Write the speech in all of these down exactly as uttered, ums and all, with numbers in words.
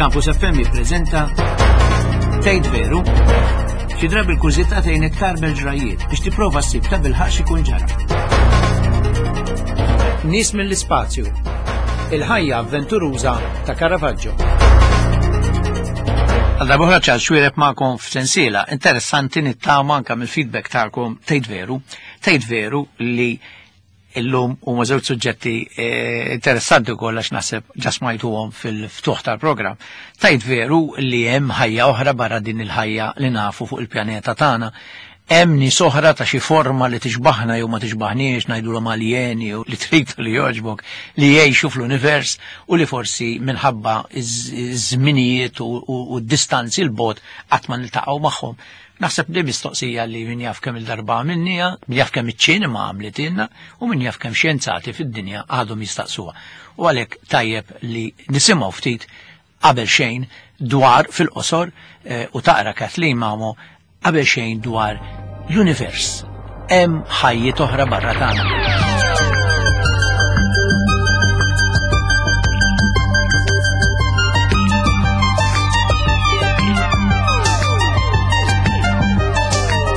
Campus F M jippreżenta Tgħid Veru? Xi drabi l-kurżità tgħin itkarbel ġrajiet biex tipprova ssib ta' bilħaq x'ikun ġara. Nies mill-ispazju. Il-ħajja avventuruża ta' Caravaggio. Għal darba oħra Charles Xuereb magħkom f'sensiela interessanti nittama anke mill-feedback tagħkom Tgħid Veru. Tgħid Veru li illum huma żewġ suġġetti, eh, interessanti wkoll għax naħseb ġa smajtuhom fil-ftuħ tal-programm. Tgħid veru li hemm ħajja oħra barra din il-ħajja li nafu fuq il-pjaneta tagħna. Hemm nies oħra ta' xi forma li tixbaħna jew ma tixbaħniex, ngħidulhom aljeni jew li trid li jogħġbok, li jgħixu fl-univers u li forsi minħabba iż-żminijiet u, u, u d-distanzi l-bogħod qatt ma niltaqgħu magħhom. Naħseb li mistoqsija li min jaf kemm il-darba għamilniha, min jaf kemm iċ-ċinema għamlitilna u min jaf kemm xjenzati fid-dinja għadhom jistaqsuha. U għalhekk tajjeb li nisimgħu ftit qabel xejn dwar fil-qosor, eh, u taqra Kathleen Mamo qabel xejn dwar l-univers. Hemm ħajjiet oħra barra tagħna.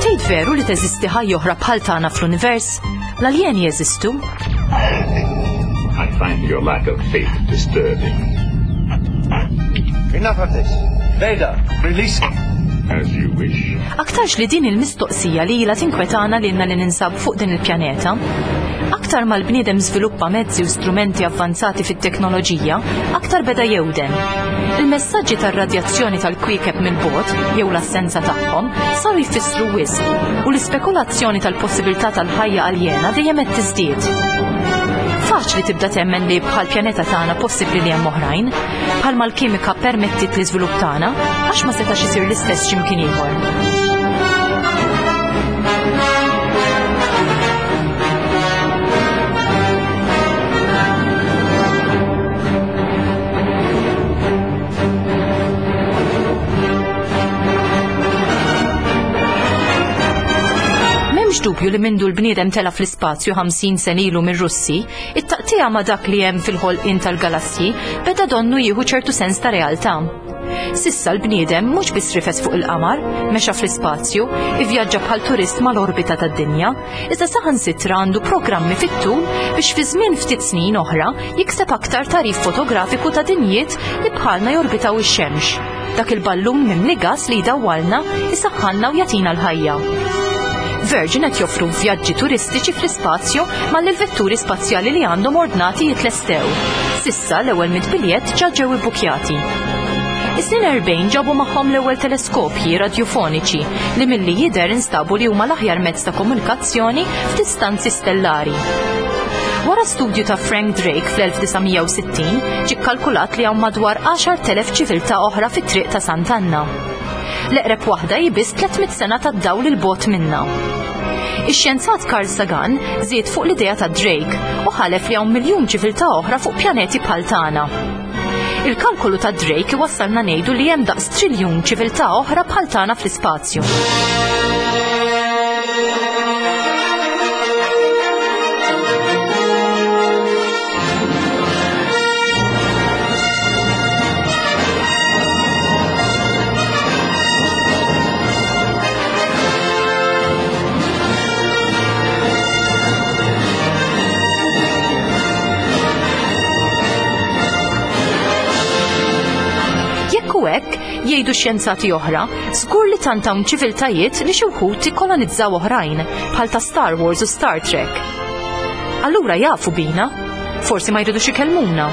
Tgħid veru li teżisti ħajja oħra bħal tagħna fl-univers? L-aljeni jeżistu? I find your lack of faith disturbing. Enough of this. Vader, release him. As you wish. Aktarx li din il-mistoqsija li ilha tinkwetana lilna li ninsab fuq din il-pjaneta. Aktar ma l-bniedem żviluppa mezzi u strumenti avvanzati fit-teknoloġija, aktar beda jewden. Il-messaġġi tar-radjazzjoni tal-kwiekeb mill-bogħod jew l-assenza tagħhom saru jfissru wisq u l-ispekulazzjoni tal-possibilità tal-ħajja aljena dejjem qed tiżdied. Faċli tibda temmen li bħal pjaneta tagħna possibbli li hemm oħrajn, bħalma l-kimika permettit l-iżvilupp tagħna, għax ma setax isir l-istess x'imkien ieħor. M'hemmx dubju li mindu l-bniedem tela fl-ispazju ħamsin sen ilu mir-Russi, it-taqtija ma' dak li hemm fil-ħolqien tal-galassji beda donnu jieħu ċertu sens ta' realtà. Sissa l-bniedem mhux biss rifes fuq il-qamar, mexa fl-ispazju, ivvjaġġa bħal turist mal-orbita tad-dinja, iżda saħansitra għandu programmi fit-tul biex fi żmien ftit snin oħra jikseb aktar tagħrif fotografiku ta' dinjiet li bħalna jorbitaw ix-xemx. Dak il-ballun mimli gas li jdawwalna, isaħħanna u jagħtina l-ħajja. Virgin qed joffru vjaġġi turistiċi fl-ispazju mal-vetturi spazjali li għandhom ordnati jitlestew. Sissa l-ewwel mitt biljett ġa ġew ibbukjati. Is-snin erbgħin ġabu magħhom l-ewwel teleskopji radjofoniċi li milli jidher instabu li huma l-aħjar mezz ta' komunikazzjoni f'distanzi stellari. Wara studju ta' Frank Drake fl-elf disa' mija u sittin ġie kkalkulat li hawn madwar għaxar telef ċiviltà oħra fit-triq ta' Sant'Anna. L-eqreb waħda hi biss tliet mitt sena tad-dawl il-bogħod minna. Ix-xjenzat Carl Sagan żied fuq l-idea ta' Drake u ħalef li hawn miljun ċiviltà oħra fuq pjaneti bħal tagħna. Il-kalkolu ta' Drake iwassalna ngħidu li hemm daqs triljun ċiviltà oħra bħal tagħna fl-ispazju. Jekk hu hekk, jgħidu xjenzati oħra, żgur li tant hawn ċiviltajiet li xi wħud ikkolonizzaw oħrajn, bħal ta' Star Wars u Star Trek. Allura jafu bina, forsi ma jridux ikellmuna,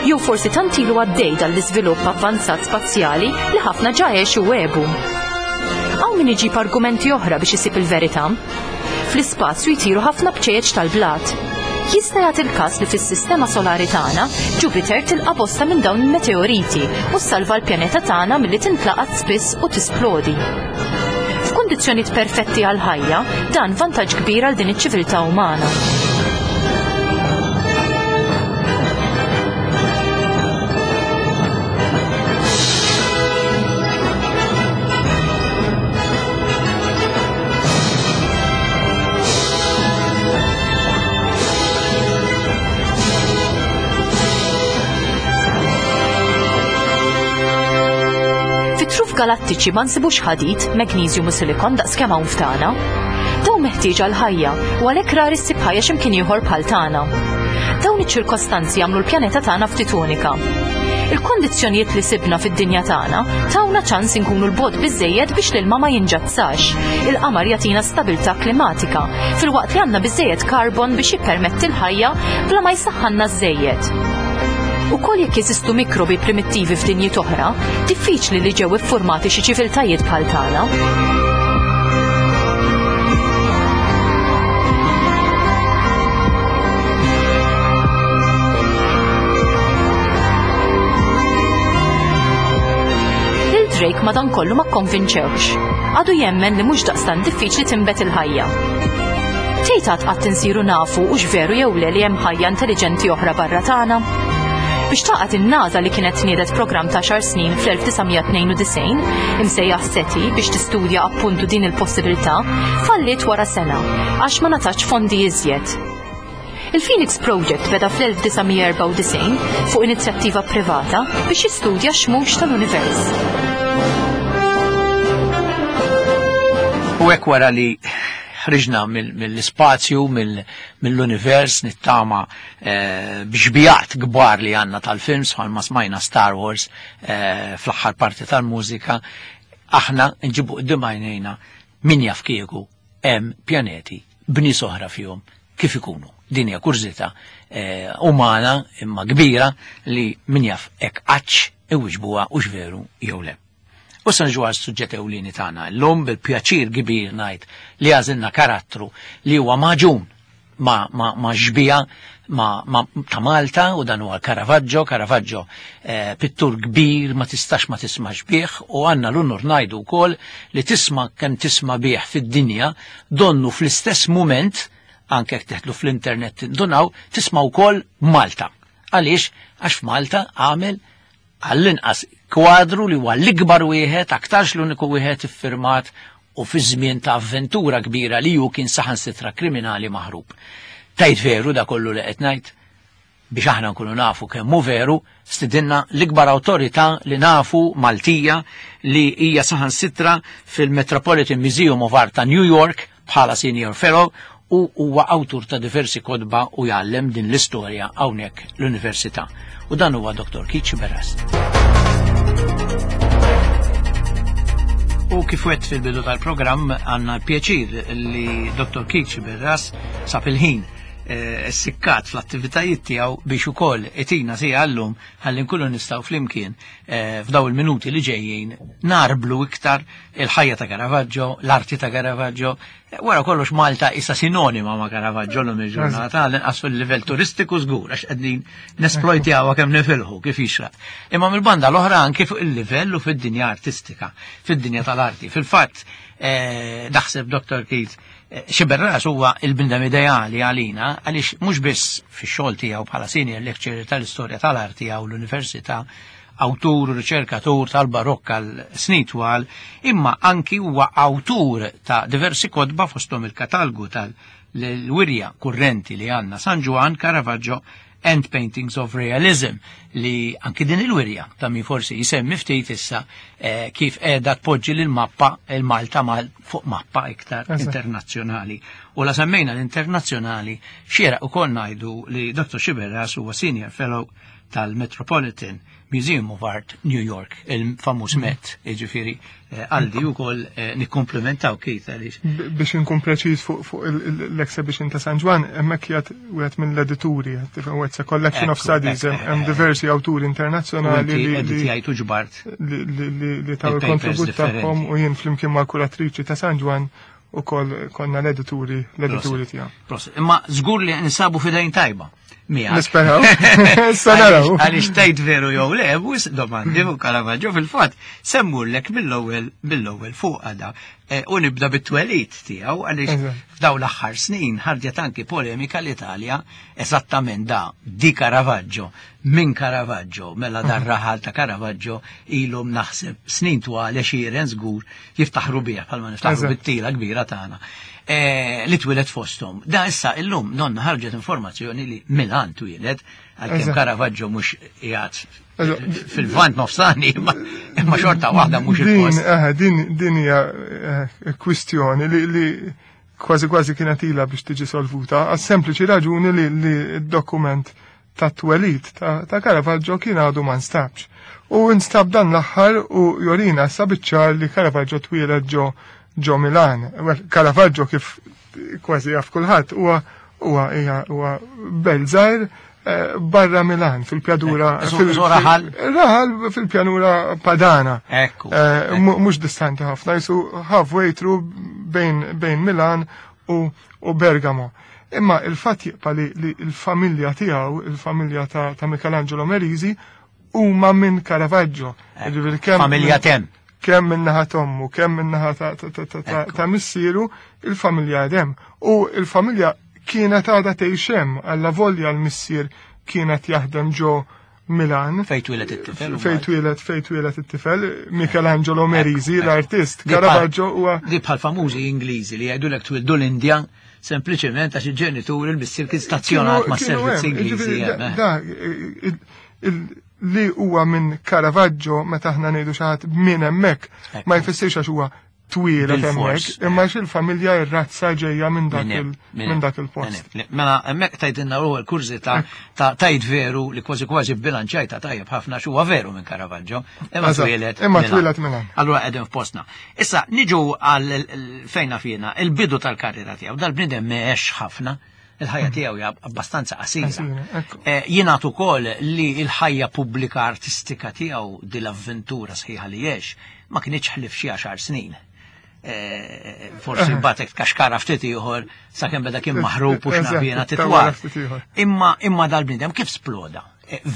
jew forsi tant ilu għaddej dan l-iżvilupp avvanzat spazjali li ħafna ġa għexu u għebu. Hawn min iġib argumenti oħra biex isib il-verità. Fl-ispazju jtiru ħafna bċejjeċ tal-blat. Jista' jagħti l-każ li fis-sistema solari tagħna Jupiter tilqa' bosta minn dawn il-meteoriti u ssalva l-pjaneta tagħna milli tintlaqat spiss u tisplodi. F'kundizzjonijiet perfetti għall-ħajja, dan vantaġġ kbir għal din iċ-ċiviltà umana. F'galattiċi ma nsibux ħadid, magnesium u silikon daqs kemm hawn f'tagħna. Dawn meħtieġa l-ħajja u għalhekk rari ssib ħajja x'imkien ieħor bħal tagħna. Dawn iċ-ċirkostanzi jagħmlu l-pjaneta tagħna ftit unika. Il-kondizzjonijiet li sibna fid-dinja tagħna tawna ċans inkunu 'l bogħod biżejjed biex l-ilma ma jinġazzax. Il-qamar jagħtina stabilità klimatika filwaqt li għandna biżejjed karbon biex jippermetti l-ħajja bla ma jsaħħanna żejjed. Ukoll jekk jeżistu mikrobi primittivi f'dinjiet oħra, diffiċli li ġew iffurmati xi ċiviltajiet bħal tagħna. Lil Drake madankollu ma kkonvinċewx. Għadu jemmen li mhux daqstant diffiċli tinbet il-ħajja. Tgħid għad qatt insiru nafu hux veru jew le li hemm ħajja intelliġenti oħra barra tagħna? Biex taqgħet in-NASA li kienet niedet programm ta' għaxar snin fl-elf disa' mija tnejn u disgħin imsejjaħ SETI biex tistudja appuntu din il-possibilità, falliet wara sena għax ma ngħatatx fondi iżjed. Il-Phoenix Project beda fl-elf disa' mija erbgħa u disgħin fuq inizjattiva privata biex jistudja x-xmux tal-univers. U hekk wara li ħriġna mill-ispazju, mill-univers, nittama eh, b'xbihat kbar li għandna tal-films, bħalma smajna Star Wars eh, fl-aħħar parti tal-mużika, aħna nġibu quddiem għajnejna min jaf kieku hemm pjaneti b'nies oħra fihom kif ikunu. Din hija kurżità eh, umana imma kbira li min jaf hekk qattx iwiġbuha hux veru jew le. U sa nġu għas-suġġett ewlieni tagħna. Llum bil-pjaċir kbir ngħid li għażilna karattru li huwa magħġun ma, ma, ma xbija ma, ma, ta' Malta u dan huwa Caravaggio. Caravaggio eh, pittur kbir ma tistax ma tismax bih u għandna l-unur ngħidu wkoll li tisma' kemm tisma' bih fid-dinja donnu fl-istess moment anke jekk teħtlu fl-internet tindunaw tisma' wkoll Malta. Għaliex? Għax f'Malta għamel għall-inqas kwadru li huwa l-ikbar wieħed, aktarx l-uniku wieħed iffirmat u fi żmien ta' avventura kbira li hu kien saħansitra kriminali maħrub. Tajt veru da kollu li qed ngħid? Biex aħna nkunu nafu kemm hu veru, stidinna l-ikbar awtorità li nafu Maltija li hija saħansitra fil-Metropolitan Museum of Art ta' New York bħala Senior Fellow u huwa awtur ta' diversi kotba u jgħallem din l-istorja hawnhekk l-Università. U dan huwa Doktor Keith Sciberras. U kif għedt fil-bidu tal-programm għandna pjaċir li Doktor Keith Sciberras sab il-ħin eh, sikkat fl-attivitajiet tiegħu biex ukoll itina siegħa llum ħalli nkunu nistgħu flimkien eh, f'daw il-minuti li ġejjin narblu iktar il-ħajja ta' Caravaggio, l-arti ta' Caravaggio. Eh, Wara kollox Malta issa sinonima ma' Caravaggio l il-ġurnata, l-inqas fil-livell turistiku żgur għax qegħdin nesplojtjawha kemm nifilħu kif jixraq. Imma mill-banda l-oħra anke fuq il-livell u fid-dinja artistika, fid-dinja tal-arti. Fil-fatt, eh, naħseb Doktor Keith Sciberras huwa il-bniedem ideali għalina għaliex mhux biss fix-xogħol tiegħu bħala senior lecturer tal-istorja tal-arti għaw l-università, awtur u riċerkatur tal-barokka għal snin twal, imma anki huwa awtur ta' diversi kotba fosthom il-katalgu tal-wirja kurrenti li għandna San Ġwann, Caravaggio and Paintings of Realism, li anki din il-wirja ta' min forsi jisemmi ftit issa eh, kif qiegħda tpoġġi lil mappa il-Malta mal fuq mappa iktar Eżatt. internazzjonali. U la semmejna l-internazzjonali, xieraq ukoll ngħidu li Doktor Sciberras huwa Senior Fellow tal-Metropolitan Museum of Art New York, il-famuż Met, jiġifieri eh, għaldi wkoll eh, nikkomplementaw Keith għaliex. B- Biex inkun preċiż fuq fuq il- il- l-exhibition ta' San Ġwann, hemmhekk qiegħed wieħed mill-edituri, tifhem, it's a collection of Ekku, studies, ekku, hemm hemm eh, diversi awturi U internazzjonali inti li li editjajtu ġbart. li li li- li taw Il-papers il-kontribut differenti. tagħhom u jien flimkien mal-kuratriċi ta' San Ġwann ukoll konna l-edituri l-edituri tiegħu. Prosit. Imma żgur li nsabu f'idejn tajba. Miegħek. Nisperaw. Issa naraw. Għaliex tgħid veru jew le, mhux domandi fuq Caravaggio fil-fatt semmurlek mill-ewwel mill-ewwel fuq għada. E, U nibda bit-twelid tiegħu għaliex Eżatt. f'daw l-aħħar snin ħarġet anki polemika l-Italja eżattament da di Caravaggio, minn Caravaggio, mela dar raħal ta' Caravaggio ilhom naħseb snin twal għexieren żgur jiftaħru bih bħalma niftaħru Eżatt. bit-tila kbira tagħna. Eh, li twieled fosthom. Da issa illum nonna ħarġet informazzjoni li Milan twieled, għalkemm Caravaggio mhux qiegħed fil-Lvant Nofsani, imma xorta waħda mhux il-post. Din din hija eh, kwistjoni li kważi kważi kienet ilha biex tiġi solvuta, għas sempliċi raġuni li d-dokument ta' twelid ta' Caravaggio kien għadu ma nstabx. U nstab dan l-aħħar u jorina sabiċċar li Caravaggio twieled ġo ġo Milan. Caravaggio kif kważi jaf kulħadd huwa huwa huwa belt żgħir eh, barra Milan fil-pjanura eh, fil raħal raħal fil-pjanura Padana. Ekku. Eh, mhux distanti ħafna, jisu halfway through bejn bejn Milan u, u Bergamo. Imma il-fatt jibqa' li, li l-familja tiegħu, il-familja ta', ta' Michelangelo Merisi, huma minn Caravaggio. Familja tem. Kemm minn naħa t'ommu, kemm minn naħa ta' missieru, il-familja hemm. U il-familja kienet għadha tgħix hemm, alla volja l-missier kienet jaħdem ġo Milan. Fejn twieled it-tifel. Fejn twieled, fejn twieled it-tifel, Michelangelo Merisi, l-artist. Caravaggio huwa. Di bħal famużi Ingliżi li jgħidulek twildu l-Indja sempliċement għax il-ġenitur il-missier kien stazzjonat ma' servizz Ingliżi. Da, li huwa minn Caravaggio meta aħna ngħidu xi ħadd minn hemmhekk ma jfissirx għax huwa twieled hemmhekk, imma għax il-familja ir-razza ġejja minn dak minn dak il-post. Mela hemmhekk tgħidilna l-ewwel kurżità ta' tgħid veru li kważi kważi bilanċajta tajjeb ħafna x'huwa veru minn Caravaggio, imma twieled. Imma twieled Milan. Allura qegħdin f'postna. Issa niġu għal fejna fina, il-bidu tal-karriera tiegħu, dal-bniedem m'għex ħafna. Il-ħajja tiegħu hija abbastanza qasira. Jingħad ukoll li l-ħajja pubblika artistika tiegħu din l-avventura sħiħa li għex ma kienx ħlief xi għaxar snin. Forsi batek kaxkara ftit ieħor sakemm beda kien maħrub u xnafjena titwal. Imma imma dal-bniedem kif sploda?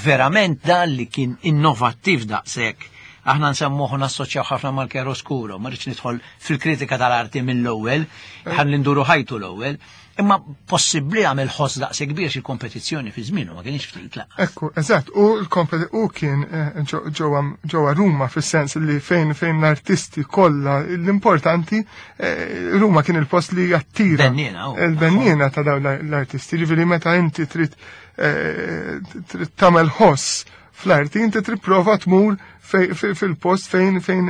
Verament dan li kien innovattiv daqshekk. Aħna nsemmuh nassoċjaw ħafna mal-chiaroscuro, ma rridx nidħol fil-kritika tal-arti mill-ewwel, ħalli nduru ħajtu l-ewwel. Imma possibbli għamel ħoss daqs kbir xi kompetizzjoni fi żmienu ma kienx ftit laqas. Ekku, eżatt, u l u kien ġewwa Ruma fis-sens li fejn fejn l-artisti kollha l-importanti Ruma kien il-post li jattira. Il-bennina ta' dawn l-artisti, ġifieri meta inti trid trid tagħmel ħoss fl-arti inti trid prova tmur fil-post fejn fejn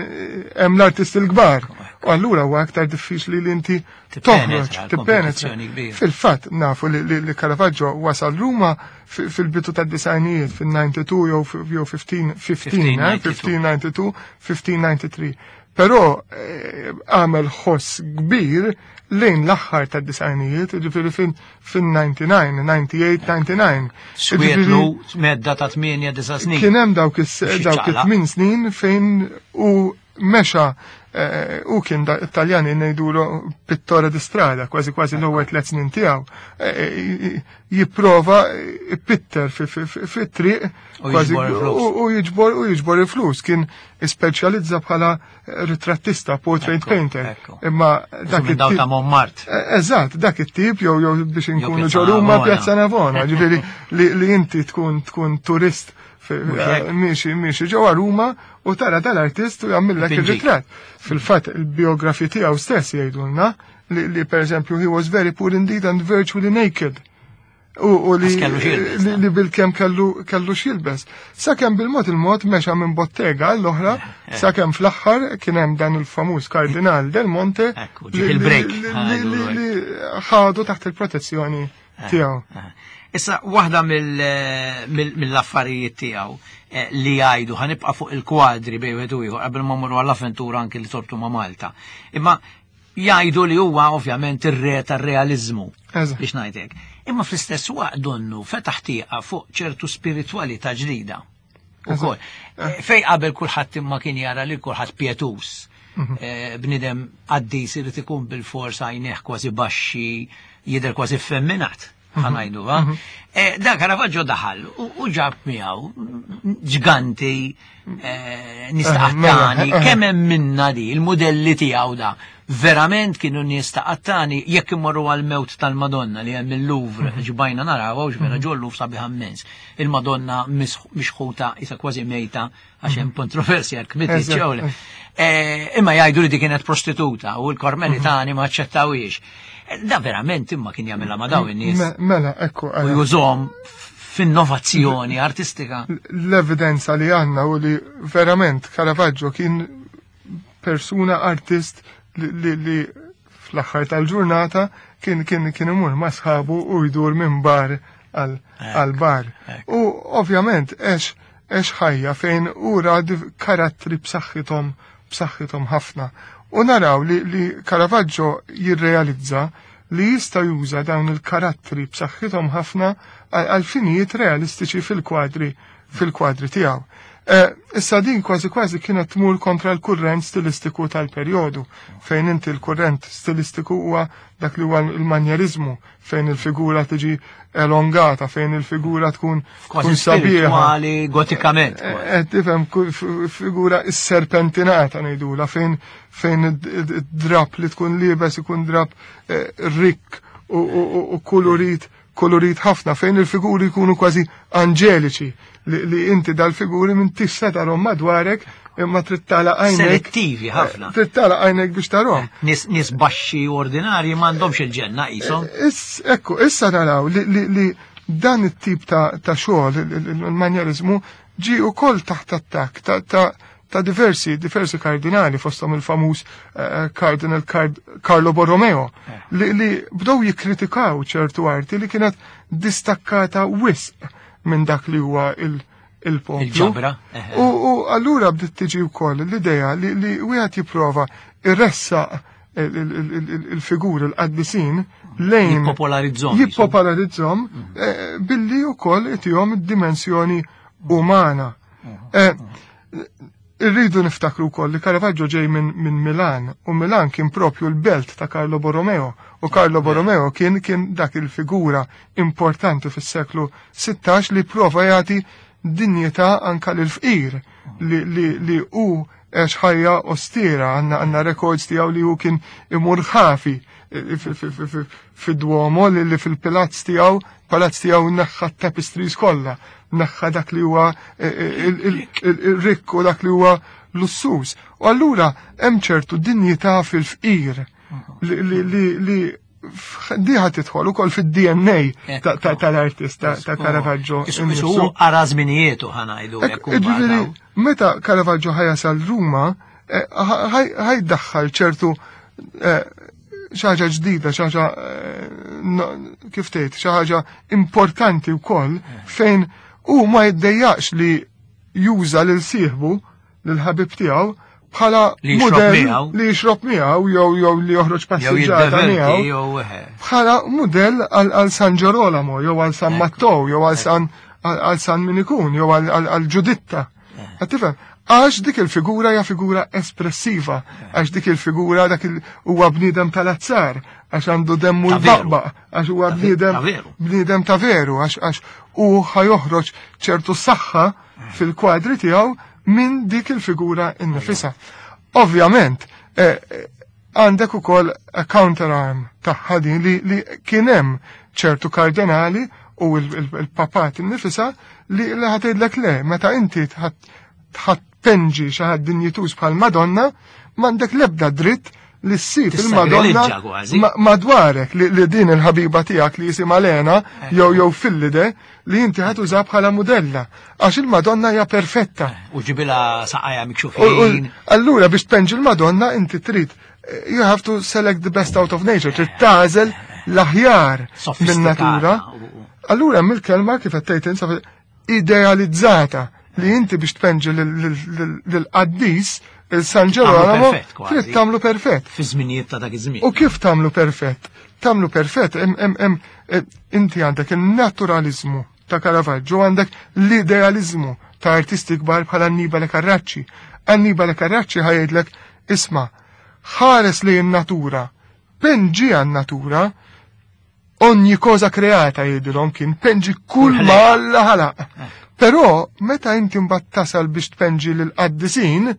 hemm l-artisti l-kbar. U allura huwa aktar diffiċli li inti toħroġ, tippenetra. Fil-fatt nafu li Caravaggio wasal Ruma fil-bidu tad-disgħinijiet fil-ninety-two jew fifteen fifteen ninety-two, fifteen ninety-three. Però għamel ħoss kbir lejn l-aħħar tad-disgħinijiet, ġifieri fin-ninety-nine, ninety-eight, ninety-nine. Swietlu medda ta' tmienja disa' snin. Kien hemm dawk it-tmien snin fejn u mexa u kien Italjani ngħidulu pittore di strada, kważi kważi l-ewwel tliet snin tiegħu. Jipprova pitter fit-triq u jiġbor u jiġbor il-flus. Kien ispeċjalizza bħala ritrattista, portrait painter. Imma dak it-tip ta' Montmartre. Eżatt, dak it-tip jew jew biex inkunu ġo Ruma Piazza Navona, ġifieri li inti tkun tkun turist miexi miexi ġewwa Ruma u tara dal-artist u jagħmillek ir-ritratt. Fil-fatt il-biografi tiegħu stess jgħidulna li pereżempju he was very poor indeed and virtually naked. U li li bil-kemm kellu kellu x'jilbes. Sakemm bil-mod il-mod mexa minn bottega għall-oħra, sakemm fl-aħħar kien hemm dan il-famuż Kardinal Del Monte li ħadu taħt il-protezzjoni tiegħu. Issa, waħda mill-affarijiet tiegħu li jgħidu ħanibqa' fuq il-kwadri bejn wieħed u ieħor qabel ma mmorru għall-avventura anki li torbtu ma' Malta. Imma jgħidu li huwa ovvjament ir-re tar-realiżmu biex ngħidlek. Imma fl-istess waqt donnu fetaħ tieqa fuq ċertu spiritwalità ġdida. Ukoll. Fej qabel kulħadd imma kien jara li kulħadd pietus. Bniedem qaddis irid ikun bil-fors għajneh kważi baxxi, jidher kważi effemminat. Ħanajdu, ha? Da Caravaggio daħal u ġab miegħu ġganti, nistaqtani, kemm hemm minna di, il-modelli tiegħu da. Verament kienu nies ta' qattani jekk imorru għal-mewt tal-Madonna li hemm il-Louvre, ġbajna naraw, vera ġol Louvre sabiħ immens. Il-Madonna mixħuta isa kważi mejta għax hemm kontroversja kmiti ċewle. Imma jgħidu li di kienet prostituta u l-Karmelitani ma aċċettawhiex. Da verament imma kien jagħmilha ma' daw in-nies. Mela, ekku. U jużhom f'innovazzjoni artistika. L-evidenza li għandna u li verament Caravaggio kien persuna artist li, li fl-aħħar tal-ġurnata kien kien kien imur ma' sħabu u jdur minn bar għal bar. U ovvjament għex għex ħajja fejn ura karattri b'saħħithom b'saħħithom ħafna. U naraw li, li Caravaggio jirrealizza li jista' juża dawn il-karattri b'saħħithom ħafna għal finijiet realistiċi fil-kwadri fil-kwadri tiegħu. Issa din kważi kważi kienet tmur kontra l-kurrent stilistiku tal-perjodu, fejn inti l-kurrent stilistiku huwa dak li huwa l-manjerizmu, fejn il-figura tiġi elongata, fejn il-figura tkun tkun sabiħa. Gotikament. Qed tifhem figura serpentinata ngħidula, fejn fejn id-drap li tkun liebes ikun drap rikk u kulurit kolorit ħafna, fejn il-figuri jkunu kważi anġeliċi, li, li inti dal-figuri minn tista tarhom madwarek imma trid tagħlaq għajnek. Selettivi ħafna. Trid tagħlaq għajnek biex tarhom. Nies nies baxxi ordinarji m'għandhomx il-ġenna qishom. Ekku, issa naraw li, li, li dan it-tip ta', ta' xogħol, il-manjerizmu, ġie wkoll taħt attakk ta', ta, ta' diversi, diversi kardinali, fosthom il-famuż uh, Cardinal Card Carlo Borromeo, li, li bdew jikkritikaw ċertu arti li kienet distakkata wisq minn dak li huwa il-poplu. Il-ġabra. U, u allura bdiet tiġi wkoll l-idea li, li wieħed jipprova irressaq il-figuri l-qaddisin lejn jippopolarizzhom. Jippopolarizzhom billi wkoll itihom id-dimensjoni umana. Irridu niftakru wkoll li Caravaggio ġej minn min Milan, u Milan kien propju l-belt ta' Carlo Borromeo, u Carlo Borromeo kien kien dak il-figura importanti fis-seklu sittax li prova jagħti dinjità anka lil fqir li li li hu għex ħajja ostera, għandna għandna records tiegħu li hu kien imur ħafi fid-Duomo, li fil-palazz tiegħu, palazz tiegħu neħħa tapestries kollha, neħħa dak li huwa il-rikk u dak li huwa lussuż. U allura hemm ċertu dinjità fil-fqir li li li diħa tidħol ukoll fid-D N A tal-artist ta' Caravaggio. Isu ara żminijietu ħanajdu. Ġifieri meta Caravaggio ħajasal Ruma, ħajdaħħal ċertu xi ħaġa ġdida, xi ħaġa kif tgħid, xi ħaġa importanti wkoll fejn u ma jiddejjaqx li juża lil sieħbu, lil ħabib tiegħu bħala mudell li jixrob miegħu jew jew li joħroġ passiġġata miegħu bħala mudell għal San Ġerolamo jew għal San Matteo jew għal San għal San min ikun jew għal Ġuditta. Qed tifhem? Għax dik il-figura hija figura espressiva, għax dik il-figura dak huwa bniedem tal-azzar, għax għandu demmu l-baqbaq, għax huwa bniedem bniedem ta' veru, għax għax u ħajoħroġ ċertu saħħa fil-kwadri tiegħu minn dik il-figura innifisha. Ovvjament, għandek ukoll a counterarm tagħha din li, li kien hemm ċertu kardinali u il-papat innifisha li ħatgħidlek le, meta inti tħadd penġi xi ħadd dinjituż bħal Madonna, m'għandek l-ebda dritt li ssib il-Madonna madwarek li, li din il-ħabiba tiegħek li jisimha Lena jew jew Fillide li inti ħadd użha bħala mudella għax il-Madonna hija perfetta. U ġibilha saqajja mikxufin. Allura biex tpenġi l-Madonna inti trid you have to select the best out of nature, trid tagħżel l-aħjar min-natura. Allura mill-kelma kif qed tgħid insa idealizzata li inti biex tpenġi lill-qaddis il-San Ġerolamo trid tagħmlu perfett. Fi żminijiet ta' dak iż-żmien. U kif tagħmlu perfett? Tagħmlu perfett hemm inti għandek il-naturalizmu ta' Caravaggio, għandek l-idealizmu ta' artisti kbar bħal Annibale Carracci. Annibale Carracci ħajdlek isma' ħares li n-natura, penġi għan-natura, ogni cosa creata jgħidilhom kien penġi kull ma Alla ħalaq. Però meta inti mbagħad tasal biex tpenġi lill-qaddisin,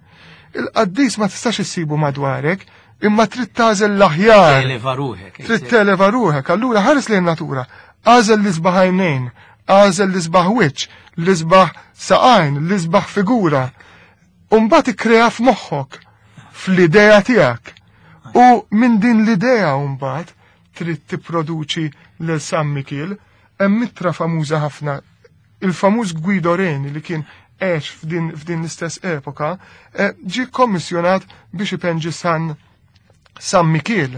il-qaddis ma tistax issibu madwarek, Imma trid tagħżel l-aħjar. Televa ruħek. Trid televa ruħek, allura ħares lejn natura. Għażel l-isbaħ għajnejn, għażel l-isbaħ wiċċ, l-isbaħ saqajn, l-isbaħ figura. U mbagħad ikkrea f'moħħok, fl-idea tiegħek. U minn din l-idea mbagħad trid tipproduċi lil San Mikiel, hemm ittra famuża ħafna, il-famuż Guido Reni li kien għex f'din, f'din l-istess epoka, eh, ġie kommissjonat biex ipenġi San San Mikiel.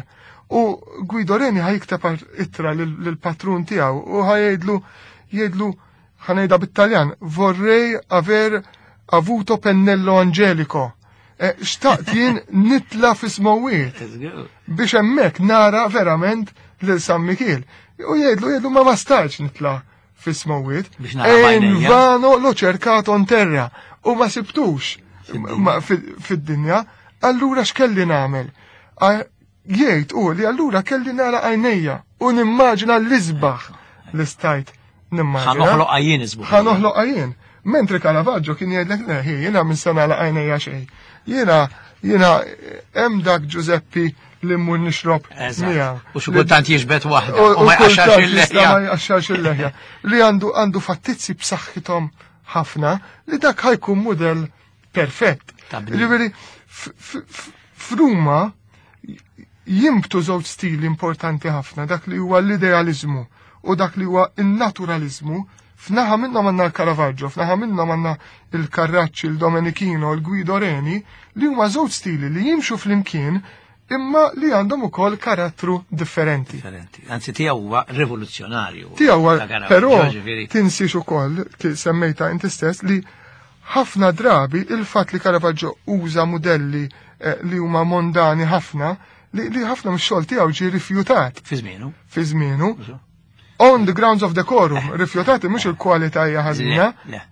U Guido Reni ħa jikteb ittra lill-patrun tiegħu u ħa jgħidlu jgħidlu ħa ngħidha bit-Taljan, vorrei aver avuto pennello angelico. Eh, xtaqt jien nitla fis-smewwiet biex hemmhekk nara verament lil San Mikiel. U jgħidlu jgħidlu ma ma stajtx nitla fis-smewwiet. Biex nara b'għajnejja. Invano l'ho cercato in terra u ma sibtux ma fid-dinja. Allura x'kelli nagħmel? Jgħid u li allura kelli nara għajnejja u nimmaġina l-isbaħ li stajt nimmaġina. Ħa noħloq għajjien isbaħ. Ħa noħloq għajjien. Mentri Caravaggio kien jgħidlek le, jiena minn sena la għajnejja xejn. Jiena jiena hemm dak Giuseppi li mmur nixrob miegħu. U xi kultant jiġbed waħda u ma jqaxxarx il-leħja. Ma jqaxxarx il-leħja. Li għandu għandu fattizzi b'saħħithom ħafna li dak ħa jkun mudell perfett. Ġifieri f'Ruma jimbtu żewġ stili importanti ħafna, dak li huwa l-idealizmu u dak li huwa il-naturalizmu. F'naħa minnhom għandna l-Caravaggio, f'naħa minnhom għandna il-Carracci, il-Domenichino, il-Guido Reni, li huma żewġ stili li jimxu flimkien imma li għandhom ukoll karattru differenti. Differenti. Anzi tiegħu huwa rivoluzzjonarju. Tiegħu huwa, però tinsiex ukoll, semmejta inti stess, li ħafna drabi il-fatt li Caravaggio uża mudelli li huma mondani ħafna, li ħafna mix-xogħol tiegħu ġie rifjutat. Fi żmienu. Fi żmienu. On the grounds of decorum, rifjutati mhux il-kwalità hija ħażina,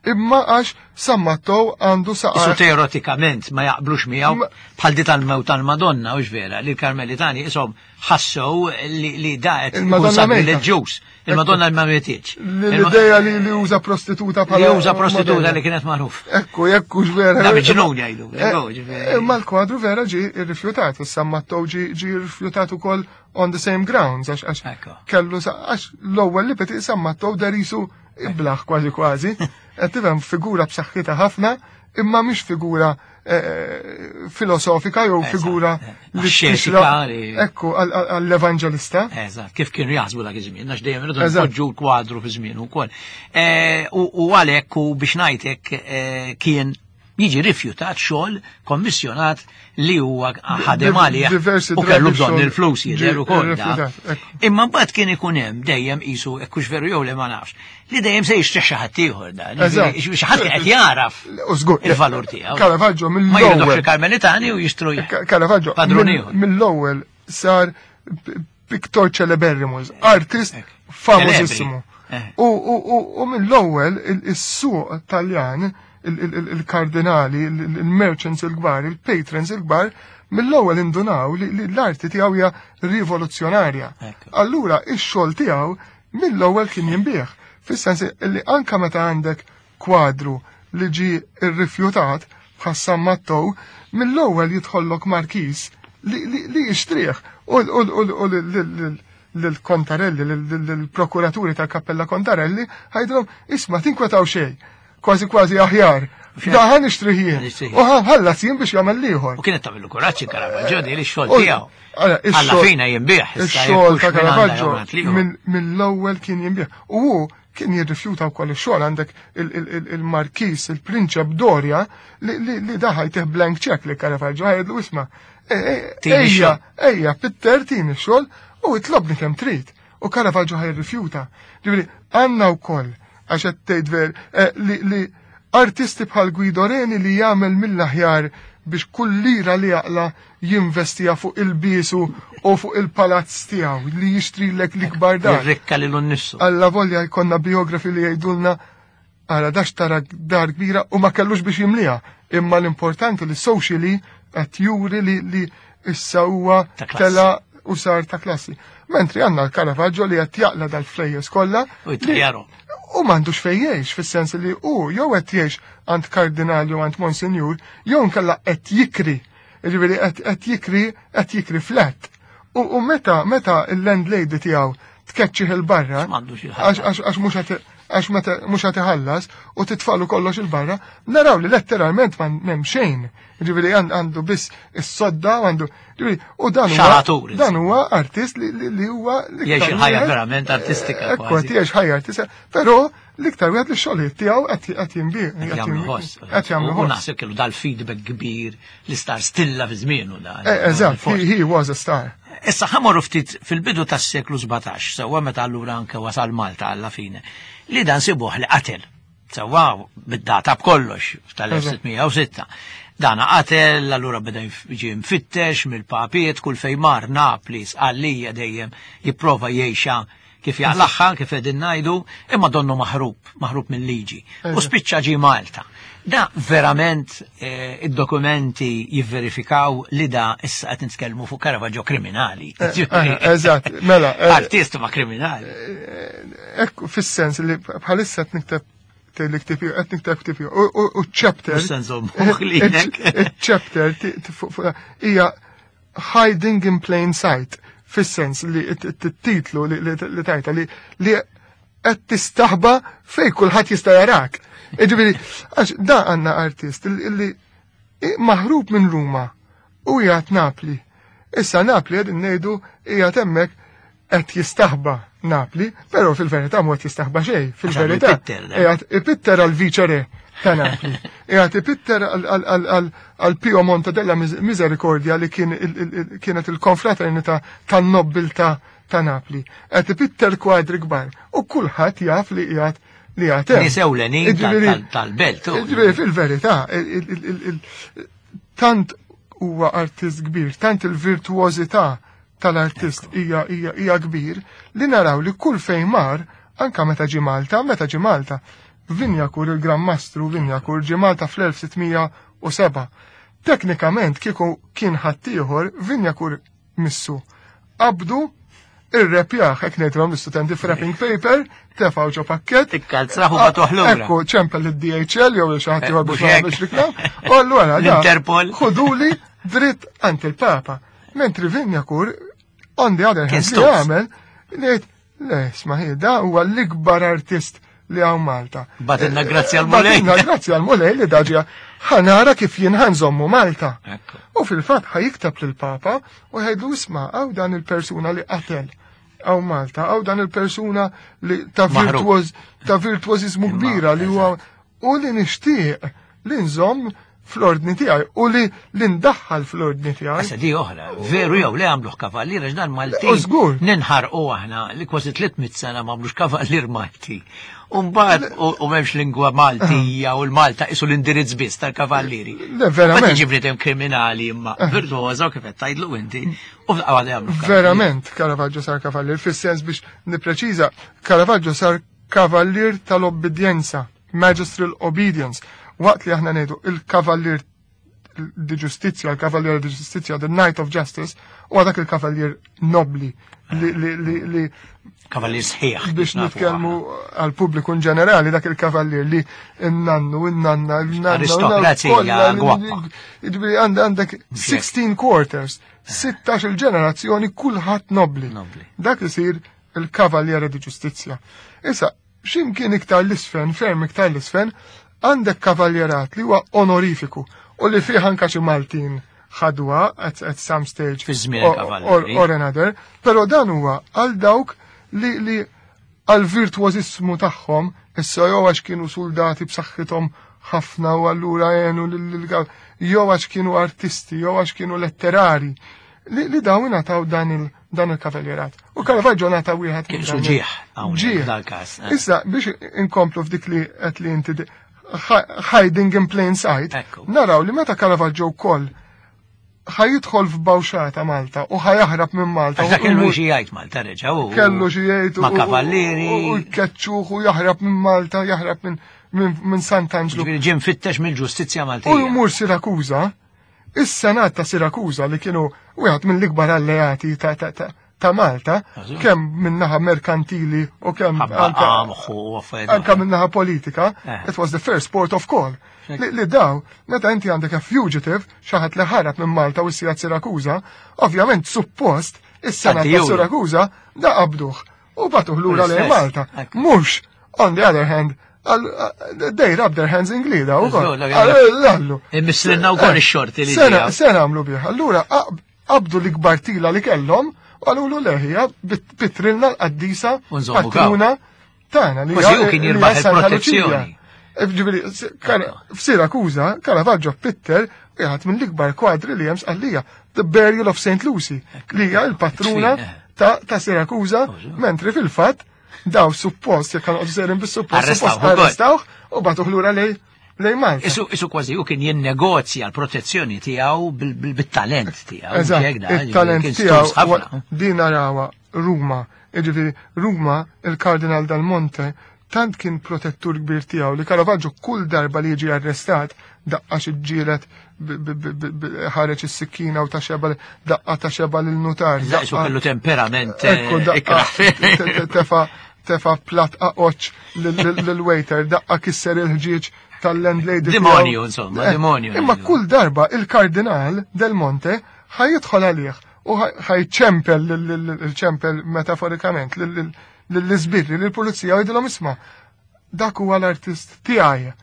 imma għax San Matteo għandu saqar. Isu teoretikament ma jaqblux miegħu bħal di tal-mewt tal-Madonna, hux vera, li l-Karmelitani ishom ħassew li da qed ikun sabrileġġuż. Il-Madonna ma mietitx. L-idea li li uża prostituta bħala. Li uża prostituta li kienet magħruf. Ekku, jekk hux vera. Da miġnun jgħidu. Imma l-kwadru vera ġie rrifjutat, San Matteo ġie rrifjutat ukoll on the same grounds, għax kellu għax l-ewwel li peti San Matteo darisu iblaħ kważi kważi, qed tifhem figura b'saħħitha ħafna, imma mhix figura filosofika jew figura li xetika. Ekku għall-evanġelista. Eżatt, kif kienu jaħsbu dak iż-żmien, għax dejjem irridu npoġġu l-kwadru fi żmien ukoll. U għalhekk u biex ngħidlek kien jiġi rifjutat xogħol kommissjonat li huwa ħadem għalih u kellu bżonn il-flus jidher ukoll. Imma mbagħad kien ikun hemm dejjem qisu hekk hux veru jew le ma nafx, li dejjem se jixtrih xi ħadd ieħor dan. Xi ħadd qed jaraf il-valur tiegħu. Caravaggio mill-ewwel. Ma jridux il-Karmelitani u jixtru Caravaggio mill-ewwel sar pictor celeberrimus, artist famożissimu. U mill-ewwel is-suq Taljan, il-kardinali, il-merchants il-kbar, il-patrons il-kbar, mill-ewwel indunaw li l-arti tiegħu hija rivoluzzjonarja. Allura ix-xogħol tiegħu mill-ewwel kien jinbih. Fis-sens li anka meta għandek kwadru li ġie rrifjutat bħal San Matteo, mill-ewwel jidħollok markis li jixtrih u l-Contarelli, l-prokuraturi tal-Kappella Contarelli, ħajdilhom isma' tinkwetaw xejn. Kważi kważi aħjar. Daħan nixtrih jien. U ħallas jien biex jagħmel ieħor. U kienet tagħmlu kuraġġ Caravaggio di li x-xogħol tiegħu. Alla fina jinbih. Ix-xogħol ta' Caravaggio mill-ewwel kien jinbih. U hu kien jirrifjuta wkoll ix-xogħol. Għandek il-Markis, il-Prinċep Doria li daħal tih blank check li Caravaggio ħajdlu isma' ejja, ejja, pitter tini x-xogħol u itlobni kemm trid. U Caravaggio ħaj jirrifjuta. Ġifieri għandna wkoll għax qed tgħid ver li artisti bħal Guido Reni li jagħmel mill-aħjar biex kull lira li jaqla jinvestija fuq il-bisu u fuq il-palazz tiegħu li jixtrilek l-ikbar dar. Jirrikka lilu nnifsu. Alla volja jkollna biografi li jgħidulna ara dax tara dar kbira u ma kellux biex jimliha. Imma l-importanti li socially qed juri li issa huwa tela u sar ta' klassi. Mentri għandna l-Caravaggio li qed jaqla dal-flejjes kollha. U jtajjaru. U m'għandux fejn jgħix, fis-sens li hu jew qed jgħix għand kardinali u għand monsinjur, jew nkella qed jikri. Ġifieri qed jikri qed jikri flat. U meta meta il-landlady tiegħu tkeċċih il-barra, għax mhux qed għax meta mhux qed iħallas u titfalu kollox il-barra, naraw li letteralment ma m'hemm xejn. Ġifieri għandu biss is-sodda u għandu ġifieri u dan huwa dan huwa artist li huwa jgħix il-ħajja verament artistika. Ekku qed jgħix ħajja artistika, però l-iktar wieħed li x-xogħlijiet tiegħu qed jinbih. Qed jagħmlu ħoss. Qed jagħmlu ħoss. U naħseb kellu dal-feedback kbir li star stilla fi żmienu dan. Eżatt, he was a star. Issa ħamorru ftit fil-bidu tas-seklu sbatax, sewwa meta allura anke wasal Malta alla fine, li dan sibuh li qatel. Sewwa bid-data b'kollox tal-elf sitt mija u sitta. Dana qatel, allura beda jiġi mfittex mill-papiet, kull fejn mar Napli, Sqallija dejjem jipprova jgħixha kif jaqlaħħa, kif qegħdin ngħidu, imma donnu maħrub, maħrub mill-liġi. U spiċċa ġi Malta. Da verament id-dokumenti jivverifikaw li da issa qed nitkellmu fuq Caravaggio kriminali. Eżatt, mela. Artist ma kriminali. Ekku, fis-sens li bħalissa qed nikteb li qed nikteb ktieb u chapter. Chapter hija Hiding in Plain Sight, fis-sens li t-titlu li tajta li qed tistaħba fej kulħadd jista' jarak. Ġifieri, għax da għandna artist li maħrub minn Ruma u qiegħed Napli. Issa Napli qegħdin ngħidu qiegħed hemmhekk qed jistaħba Napli, però fil-verità mhu qed jistaħba xejn, fil-verità qiegħed ipitter għal viċere ta' Napli. Qiegħed ipitter għal Pio Monte della Misericordia li kienet il-konfraternità tan-nobbiltà ta' Napli. Qed ipitter kwadri kbar u kulħadd jaf li qiegħed li għatem. Nies ewlenin tal-belt. Ġifieri fil-verità, tant huwa artist kbir, tant il-virtuożità tal-artist hija hija kbir li naraw li kull fejn mar, anka meta ġie Malta, meta ġie Malta, Wignacourt, il-Gran Mastru Wignacourt, ġie Malta fl-elf sitt mija u seba'. Teknikament kieku kien ħaddieħor, Wignacourt missu. Qabdu irrepjaħ, hekk ngħidilhom l-istudenti f'wrapping paper, tefgħu ġo pakkett. Ikkalzraħu ma toħlura. Ekku, ċempel id-D H L jew xi ħadd ieħor biex ma nagħmlux reklam. U allura da, L-Interpol. Ħuduli dritt għand il-Papa. Mentri Wignacourt, on the other hand, Kien li stuz. għamel, li jgħid, le, isma' hi, da huwa l-ikbar artist li hawn Malta. Batinna grazzi għal-Mulej. Batinna grazzi għal-Mulej li daġja ħanara kif jien ħanżommu Malta. Ekku. U fil-fatt ħajiktab lill-Papa u jgħidlu isma' hawn dan il-persuna li qatel hawn Malta, hawn dan il-persuna li ta' Maħrub. virtuoż, ta' virtuożiżmu Imma, kbira li huwa u li nixtieq li nżomm fl-ordni tiegħi u li li ndaħħal fl-ordni tiegħi. Issa di oħra, veru jew le għamluh kavallier għax dan Malti. U żgur. Ninħarqu aħna li kważi tliet mitt sena ma għamlux kavallier Malti. U mbagħad u m'hemmx lingwa Maltija u l-Malta isu l-indirizz biss tal-kavallieri. Le, verament. Ma tiġi bniedem kriminali imma virtuosa kif qed tgħidlu inti u f'daqqa waħda jagħmlu kavallier. Verament Caravaggio sar kavallier, fis-sens biex nippreċiża, Caravaggio sar kavallier tal-obbedjenza, magistral obedience. Waqt li aħna ngħidu il-kavallier di ġustizzja, il-kavallier di ġustizzja, the Knight of Justice, u dak il-kavallier nobli li, li, li, li Kavallier sħiħ, biex kif nafu nitkellmu aħna. għal pubbliku in ġenerali, dak il-kavallier li n-nannu, n-nanna, n-nanna, Aristokrazija kollha li- gwappa. Jiġifieri għand-, għandek Mhux hekk. sixteen quarters, sittax il-ġenerazzjoni kulħadd nobli. Nobli. Dak isir il-kavalliere di ġustizzja. Issa, x'imkien iktar l-isfen, ferm iktar l-isfen, għandek kavaljerat li huwa onorifiku u li fih anka xi Maltin ħadwa at, at some stage Fi żmien or, il-kavallieri. or, or another, però dan huwa għal dawk li, li għal virtuożismu tagħhom, issa jew għax kienu soldati b'saħħithom ħafna u allura għenu lil-, lil-, jew għax kienu artisti, jew għax kienu letterari, li, li dawn ingħataw dan il-, dan il-kavaljerat. U Caravaggio ngħata wieħed Kien minn dan suġieħ hawnhekk Ġieħ. dal-każ, eh. Issa biex inkomplu f'dik li qed li inti di-, hiding in plain sight, Ekku. naraw li meta Caravaggio wkoll ħajidħol f'bawxata Malta u ħajaħrab minn Malta. Għax dak kellu U- xi jgħid Malta reġa' u Kellu xi jgħid u- ma' u- kavallieri. u jkeċċuh u jaħrab minn Malta, jaħrab minn, minn, minn Sant'Angelo. Ġifieri ġie mfittex mill-ġustizzja Maltija. U jmur Sirakuża, is-Senat ta' Sirakuża li kienu wieħed mill-ikbar alleati ta', ta', ta', ta' Malta, kemm minnaħa merkantili u kemm anka minnaħa politika, it was the first port of call. Li daw, meta inti għandek a fugitive, xi ħadd li ħarab minn Malta u ssir Sirakuza, ovvjament suppost is-sena ta' Sirakuza da qabduh u bagħtuh lura lejn Malta. Mhux, on the other hand, they rub their hands in glida u kollu. Mislinna u koll ix-xorti li. Sena għamlu bih. Allura qabdu l-ikbar tila li kellhom u għalulu leħija pitrilna l-qaddisa patruna tagħna li hu kien jirbaħ il-protezzjoni. Ġifieri f'Sirakuza Caravaggio pitter wieħed mill-ikbar kwadri li hemm sqallija, The Burial of Saint Lucy, li hija l-patruna ta' Sirakuza, mentri fil-fatt daw suppost, jekk għanqodu serin bis-suppost, suppost arrestawh u bagħtuh lura lej lej Malta. Isu, isu kważi u kien jinnegozja l-protezzjoni tiegħu bil-talent tiegħu. Eżatt, il-talent tiegħu din narawha Ruma, jiġifieri Ruma il-Kardinal Dal Monte tant kien protettur kbir tiegħu li Caravaggio kull darba li jiġi arrestat daqqa xi ġielet ħareġ is-sikkina u ta' xeba daqqa ta' xeba lil nutar. Daqsu kellu temperament. Tefa tefa plat aqoċ lil-waiter, daqqa kisser il-ħġieġ tal-landlady. Demonju, insomma, demonju. Imma kull darba il-Kardinal Del Monte ħajidħol għalih u ħajċempel il-ċempel metaforikament lill-iżbirri, lill-pulizija u jgħidilhom isma' dak huwa l-artist tiegħi.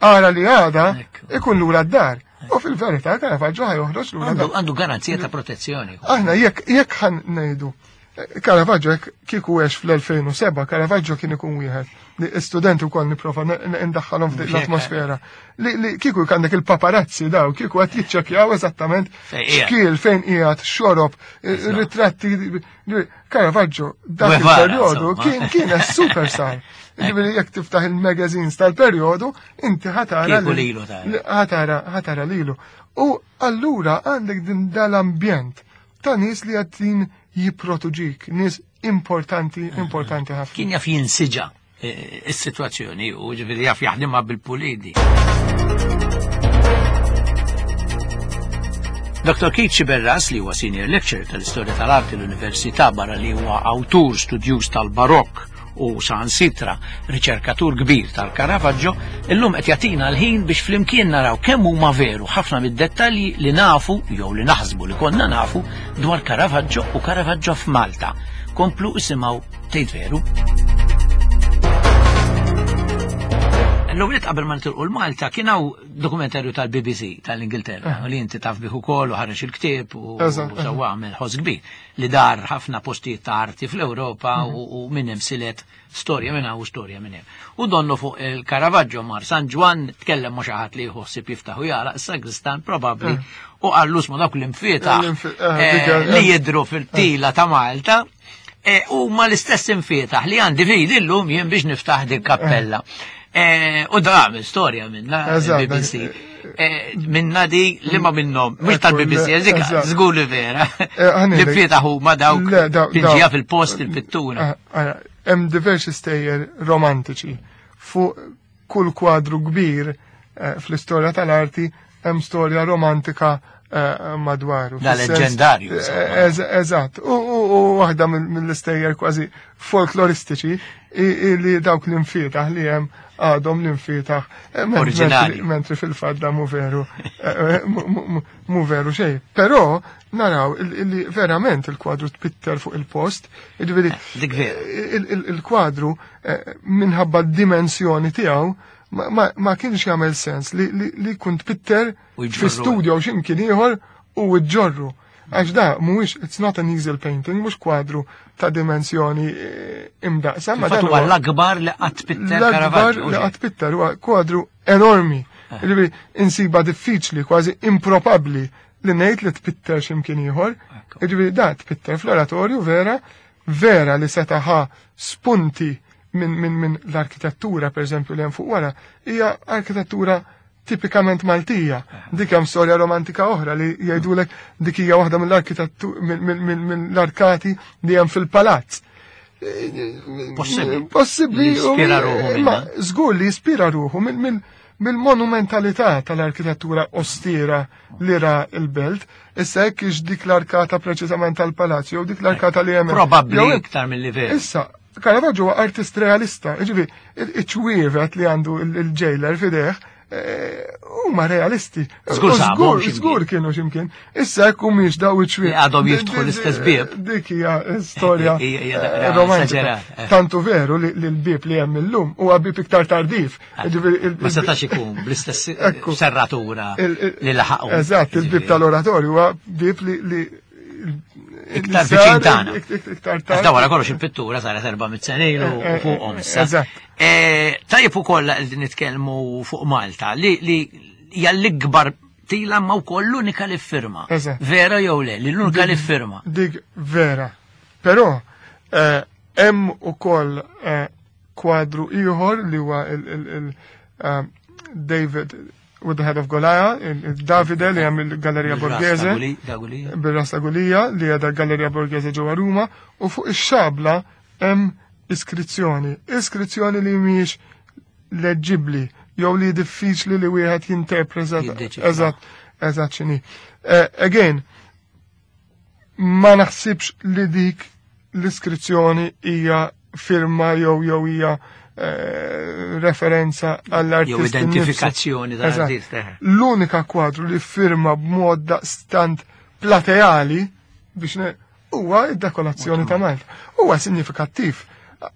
Ara li għada ikun lura d-dar. U fil-verità Caravaggio ħajoħroġ lura d-dar. Għandu garanzija ta' protezzjoni. Aħna jekk jekk ħan ngħidu Caravaggio kieku għex fl-elfejn u seba, Caravaggio kien ikun wieħed li studenti wkoll nipprova ndaħħalhom f'dik l-atmosfera. Li kieku għandek il-paparazzi daw, kieku qed jiċċekkjaw eżattament x'kiel fejn qiegħed, xorob, ritratti. Caravaggio dak il-perjodu kien kien superstar. Ġifieri jekk tiftaħ il-magazines tal-perjodu, inti ħatara ħatara ħatara lilu. U allura għandek din dal-ambjent ta' nies li qed jipprotuġik, nies importanti, importanti ħafna. Kien jaf jinsiġa is-sitwazzjoni u ġifieri jaf jaħdimha bil-pulidi. Doktor Keith Sciberras, li huwa senior lecturer tal-istorja tal-arti l-Università barra li huwa awtur studjuż tal-Barokk u saħansitra riċerkatur kbir tal-Caravaggio, illum qed jagħtina l-ħin biex flimkien naraw kemm huma veru ħafna mid-dettalji li nafu jew li naħsbu li konna nafu dwar Caravaggio u Caravaggio f'Malta. Komplu isimgħu tgħid veru. L-ewwel qabel ma nitilqu l-Malta kien hawn dokumentarju tal-B B C tal-Ingilterra li inti taf bih ukoll u ħareġ il-ktieb u sewwa għamel ħoss kbir li dar ħafna postijiet ta' arti fl-Ewropa u minn hemm silet storja minn hawn u storja minn hemm. U donnu fuq il-Caravaggio mar San Ġwann tkellem ma' xi ħadd li jħossib jiftaħ u jagħlaq is-sagristan probabbli u qallu isma' dawk l-imfietaħ li jidhru fil-tila ta' Malta u ma l-istess imfietaħ li għandi fidi llum jien biex niftaħ din kappella. U da għamil storja minna B B C. Minna di li ma minnom, mux tal-B B C, żgur li vera. Li fietaħ huma dawk pinġija fil-post il-pittura. Hemm diversi stejjer romantiċi fuq kull kwadru kbir fl-istorja tal-arti hemm storja romantika madwaru. Da leġendarju. Eżatt. U waħda mill-istejjer kważi folkloristiċi li dawk l-imfietaħ li hemm għadhom l-imfietaħ oriġinali. Mentri fil-fatt da mu veru mu veru xejn. Però naraw li verament il-kwadru tpitter fuq il-post, jiġifieri il-kwadru minħabba d-dimensjoni tiegħu ma kienx jagħmel sens li jkun tpitter fi studio u x'imkien ieħor u ġġorru. Għax da mhuwiex, it's not an easel painting, mhux kwadru ta' dimensjoni imdaqsa. Ma dan huwa l-akbar li qatt pitter Caravaggio. L-akbar li qatt pitter huwa kwadru enormi. Jiġifieri insiba diffiċli, kważi improbabbli li ngħid li tpitter x'imkien ieħor. Jiġifieri da tpitter fl-oratorju vera, vera li seta' ħa spunti minn min, min l-arkitettura, per eżempju, li hemm fuq wara, hija arkitettura tipikament Maltija. Dik hemm storja romantika oħra li jgħidulek dik hija waħda mill-arkitettu mill-arkati li hemm fil-palazz. Possibbli. Possibbli. Jispira ruħu. Ma żgur li jispira ruħu minn mill-monumentalità tal-arkitettura ostira li ra il-belt, issa hekk ix dik l-arkata preċiżament tal-palazzo jew dik l-arkata li hemm. Probabbli iktar mill-livell. Issa, Caravaggio huwa artist realista, jiġifieri iċ-ċwievet li għandu il-jailer f'idejh huma realisti. Żgur żgur, żgur kienu x'imkien. Issa hekk humiex daw iċ-ċwievet. Għadhom jiftħu l-istess bieb. Dik hija storja romantika. Tantu veru li l-bieb li hemm illum huwa bieb iktar tardiv. Ma setax ikun bl-istess serratura li laħaqu. Eżatt, il-bieb tal-oratorju huwa bieb li iktar viċin tagħna. Iktar tagħna. Wara kollox il-pittura saret erba' mitt sena ilu fuqhom issa. Tajjeb ukoll li nitkellmu fuq Malta li hija l-ikbar tila ma wkoll l-unika li ffirma. Vera jew le, li l-unika li ffirma. Dik vera. Però hemm ukoll kwadru ieħor li huwa il-David with the Head of Goliath, il-Davide li hemm il-Galleria Borghese, bil-Rasta Gulija li hija Galleria Borghese ġewwa Ruma, u fuq ix-xabla hemm iskrizzjoni, iskrizzjoni li mhijiex leġibbli jew li diffiċli li wieħed jinterpreta eżatt eżatt x'inhi. Again, ma naħsibx li dik l-iskrizzjoni hija firma jew jew hija referenza għall-artist. Jew identifikazzjoni tal-artist. L-unika kwadru li firma b'mod daqstant plateali biex huwa id-dekorazzjoni ta' Malta. Huwa sinifikattiv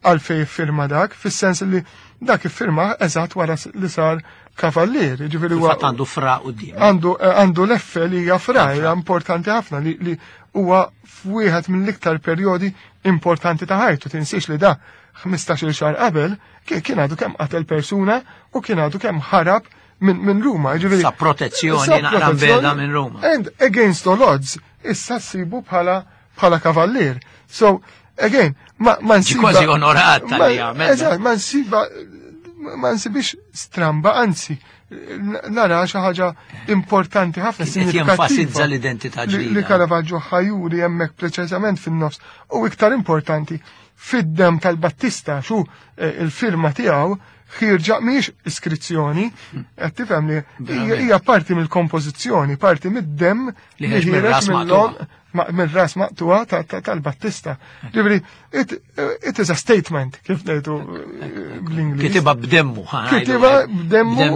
għalfej firma dak, fis-sens li dak iffirma eżatt wara li sar kavallier. Ġifieri huwa għandu fra quddiem. Għandu għandu l-effe li hija fra, hija importanti ħafna li li huwa f'wieħed mill-iktar perjodi importanti ta' ħajtu. Tinsiex li da ħmistax-il xahar qabel kien għadu kemm qatel persuna u kien għadu kemm ħarab minn Ruma. Ġifieri sa protezzjoni naqra beda minn Ruma. And against all odds, issa ssibu bħala bħala kavallier. So, again, ma ma nsiba. Kważi onorat tal-li għamel. Eżatt, ma nsiba ma nsibix stramba, anzi, nara xi ħaġa importanti ħafna, sinifikattiva. Jenfasizza l-identità ġdida. Li Caravaggio ħajuri hemmhekk preċiżament fin-nofs. U iktar importanti, fid-dem tal-Battista, xu il-firma tiegħu ħirġa mhijiex iskrizzjoni, qed tifhem li hija parti mill-kompożizzjoni, parti mid-dem li ħiereġ mill-ras maqtuha tal-Battista. Ġifieri, it is a statement, kif ngħidu bl-Ingliż. Kitibha b'demmu, Kitibha b'demmu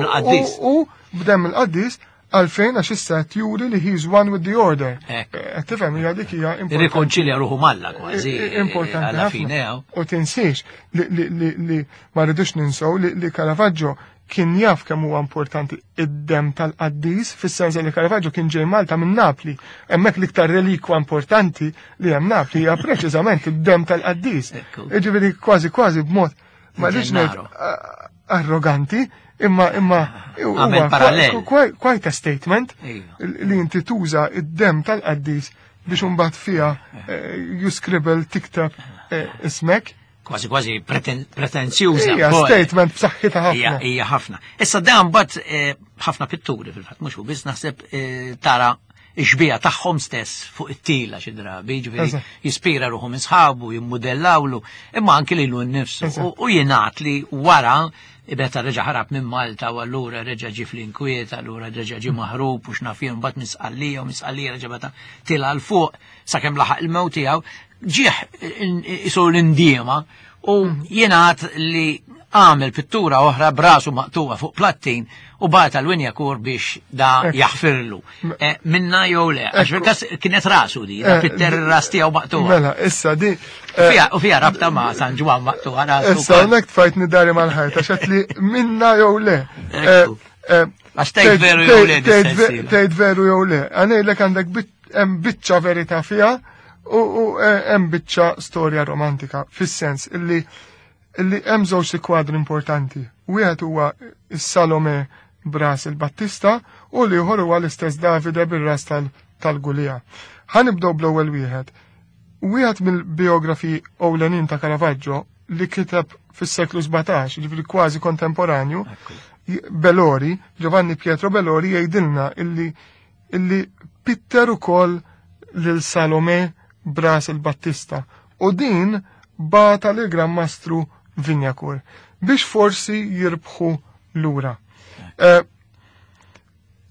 u b'demm il-qaddis għalfejn għax issa qed juri li he's one with the order. Qed tifhem hija dik hija importanti. Irrikonċilja ruħu malla kważi. Importanti ħafna. U tinsiex li ma rridux ninsew li Caravaggio kien jaf kemm huwa importanti id-dem tal-qaddis, fis-sens li Caravaggio kien ġej Malta minn Napli. Hemmhekk l-iktar relikwa importanti li hemm Napli hija preċiżament id-dem tal-qaddis. Jiġifieri kważi kważi b'mod ma rridx ngħid arroganti, imma imma huwa quite a statement li inti tuża id-dem tal-qaddis biex imbagħad fiha you scribble tikteb ismek. Kważi kważi pretenzjuża. Hija statement b'saħħitha ħafna. Hija ħafna. Issa dan mbagħad ħafna pitturi fil-fatt mhux hu biss naħseb tara ix-xbieha tagħhom stess fuq it-tila xi drabi, jiġifieri jispira ruħu minn sħabu, jimmudellawlu, imma anki lilu nnifsu. U jingħad li wara meta reġa' ħarab minn Malta u allura reġa' ġie fl-inkwiet, allura reġa' ġie maħrub u x'naf jien mbagħad minn Sqallija u minn Sqallija reġa' bata tila' l fuq sakemm laħaq il-mewt tiegħu, ġieħ isu l-indiema u jingħad li għamel pittura oħra brasu maqtuwa fuq plattin u bata l-Wignacourt biex da jaħfirlu. Minna jew le, għax fil-każ kienet rasu di, da pitter ras tiegħu maqtuwa. Mela, issa di. U fija rabta ma' San Ġwann maqtuwa rasu. Issa hawnhekk tfajtni dari mal-ħajt għax qed li minna jew le. Għax tgħid veru jew le. Tgħid veru jew le. Għanejlek għandek hemm biċċa verità fiha u hemm biċċa storja romantika fis-sens illi illi hemm żewġ kwadri importanti. Wieħed huwa is-Salome bras il-Battista u l-ieħor huwa l-istess Davide bir-ras tal-Gulija. Ħa nibdew bl-ewwel wieħed. Wieħed mill-biografi ewlenin ta' Caravaggio li kiteb fis-seklu sbatax, jiġifieri kważi kontemporanju, Bellori, Giovanni Pietro Bellori jgħidilna illi illi pitter ukoll lil Salome bras il-Battista u din bata lil Gran Mastru Wignacourt biex forsi jirbħu lura.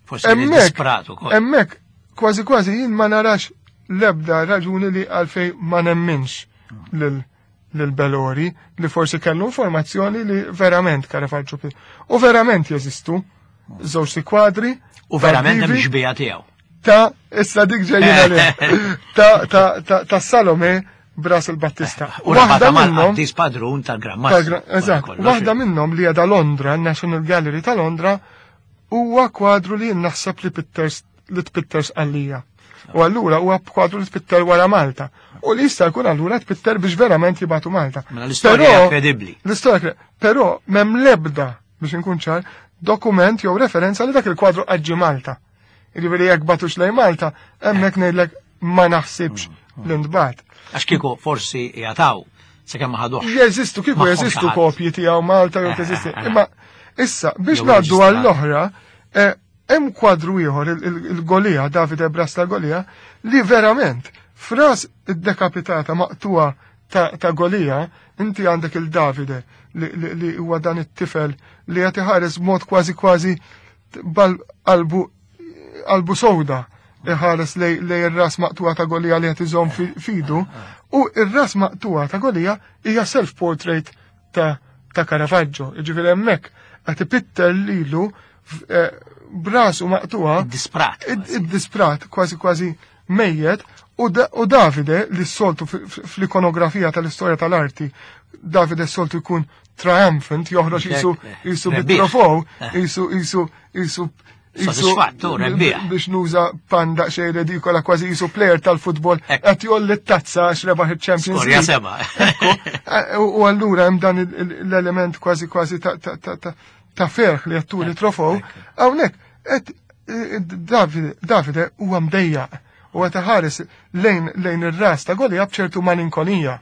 Forsi disprat ukoll. Hemmhekk kważi kważi jien ma narax l-ebda raġuni li għalfej ma nemminx lil lil Bellori li forsi kellu informazzjoni li verament Caravaggio u verament jeżistu żewġ kwadri u verament hemm xbieha tiegħu. Ta' issa dik ġejjin għalih. Ta' ta' ta' ta' Salome b'ras il-Battista. U waħda minnhom qaddis padrun tal-Gran Mastru. Eżatt, waħda minnhom li għadha Londra, National Gallery ta' Londra, huwa kwadru li naħseb li Pitters li tpitters għalija. U allura huwa kwadru li tpitter wara Malta. U li jista' jkun allura tpitter biex verament jibatu Malta. Mela l-istorja hija kredibbli. L-istorja però m'hemm l-ebda biex inkun ċar dokument jew referenza li dak il-kwadru għadġi Malta. Jiġifieri jekk batux lejn Malta, hemmhekk ngħidlek ma naħsibx li ntbagħat. Għax kieku forsi jataw sakemm ma ħaduhx. Jeżistu kieku jeżistu kopji tiegħu Malta jew teżisti. Imma issa biex ngħaddu għall-oħra, hemm kwadru ieħor il-Golija, Davide Bras tal-Golija, li verament fras id-dekapitata maqtuha ta' Golija, inti għandek il-Davide li huwa dan it-tifel li qed iħares b'mod kważi kważi qalbu qalbu sowda iħares lej ir-ras maqtuha ta' Golija li qed iżomm fidu, u ir-ras maqtuha ta' Golija hija self-portrait ta' ta' Caravaggio. Jiġifieri hemmhekk qed ipitter lilu brasu maqtuha. Id-disprat. Id-disprat, kważi kważi mejjet, u Davide li s-soltu fl-ikonografija tal-istorja tal-arti, Davide s-soltu jkun triumphant, joħroġ jisu jisu bit-trofew, jisu jisu jisu Sodisfattu, rebbieħ. Biex nuża panda xej redikola kważi jisu player tal-futbol qed jolli t-tazza għax rebaħ il-Champions League. Skorja seba'. U allura hemm dan l-element kważi kważi ta' ferħ li qed turi trofew. Hawnhekk qed Davide huwa mdejjaq u qed iħares lejn lejn ir-ras ta' Golija b'ċertu malinkonija.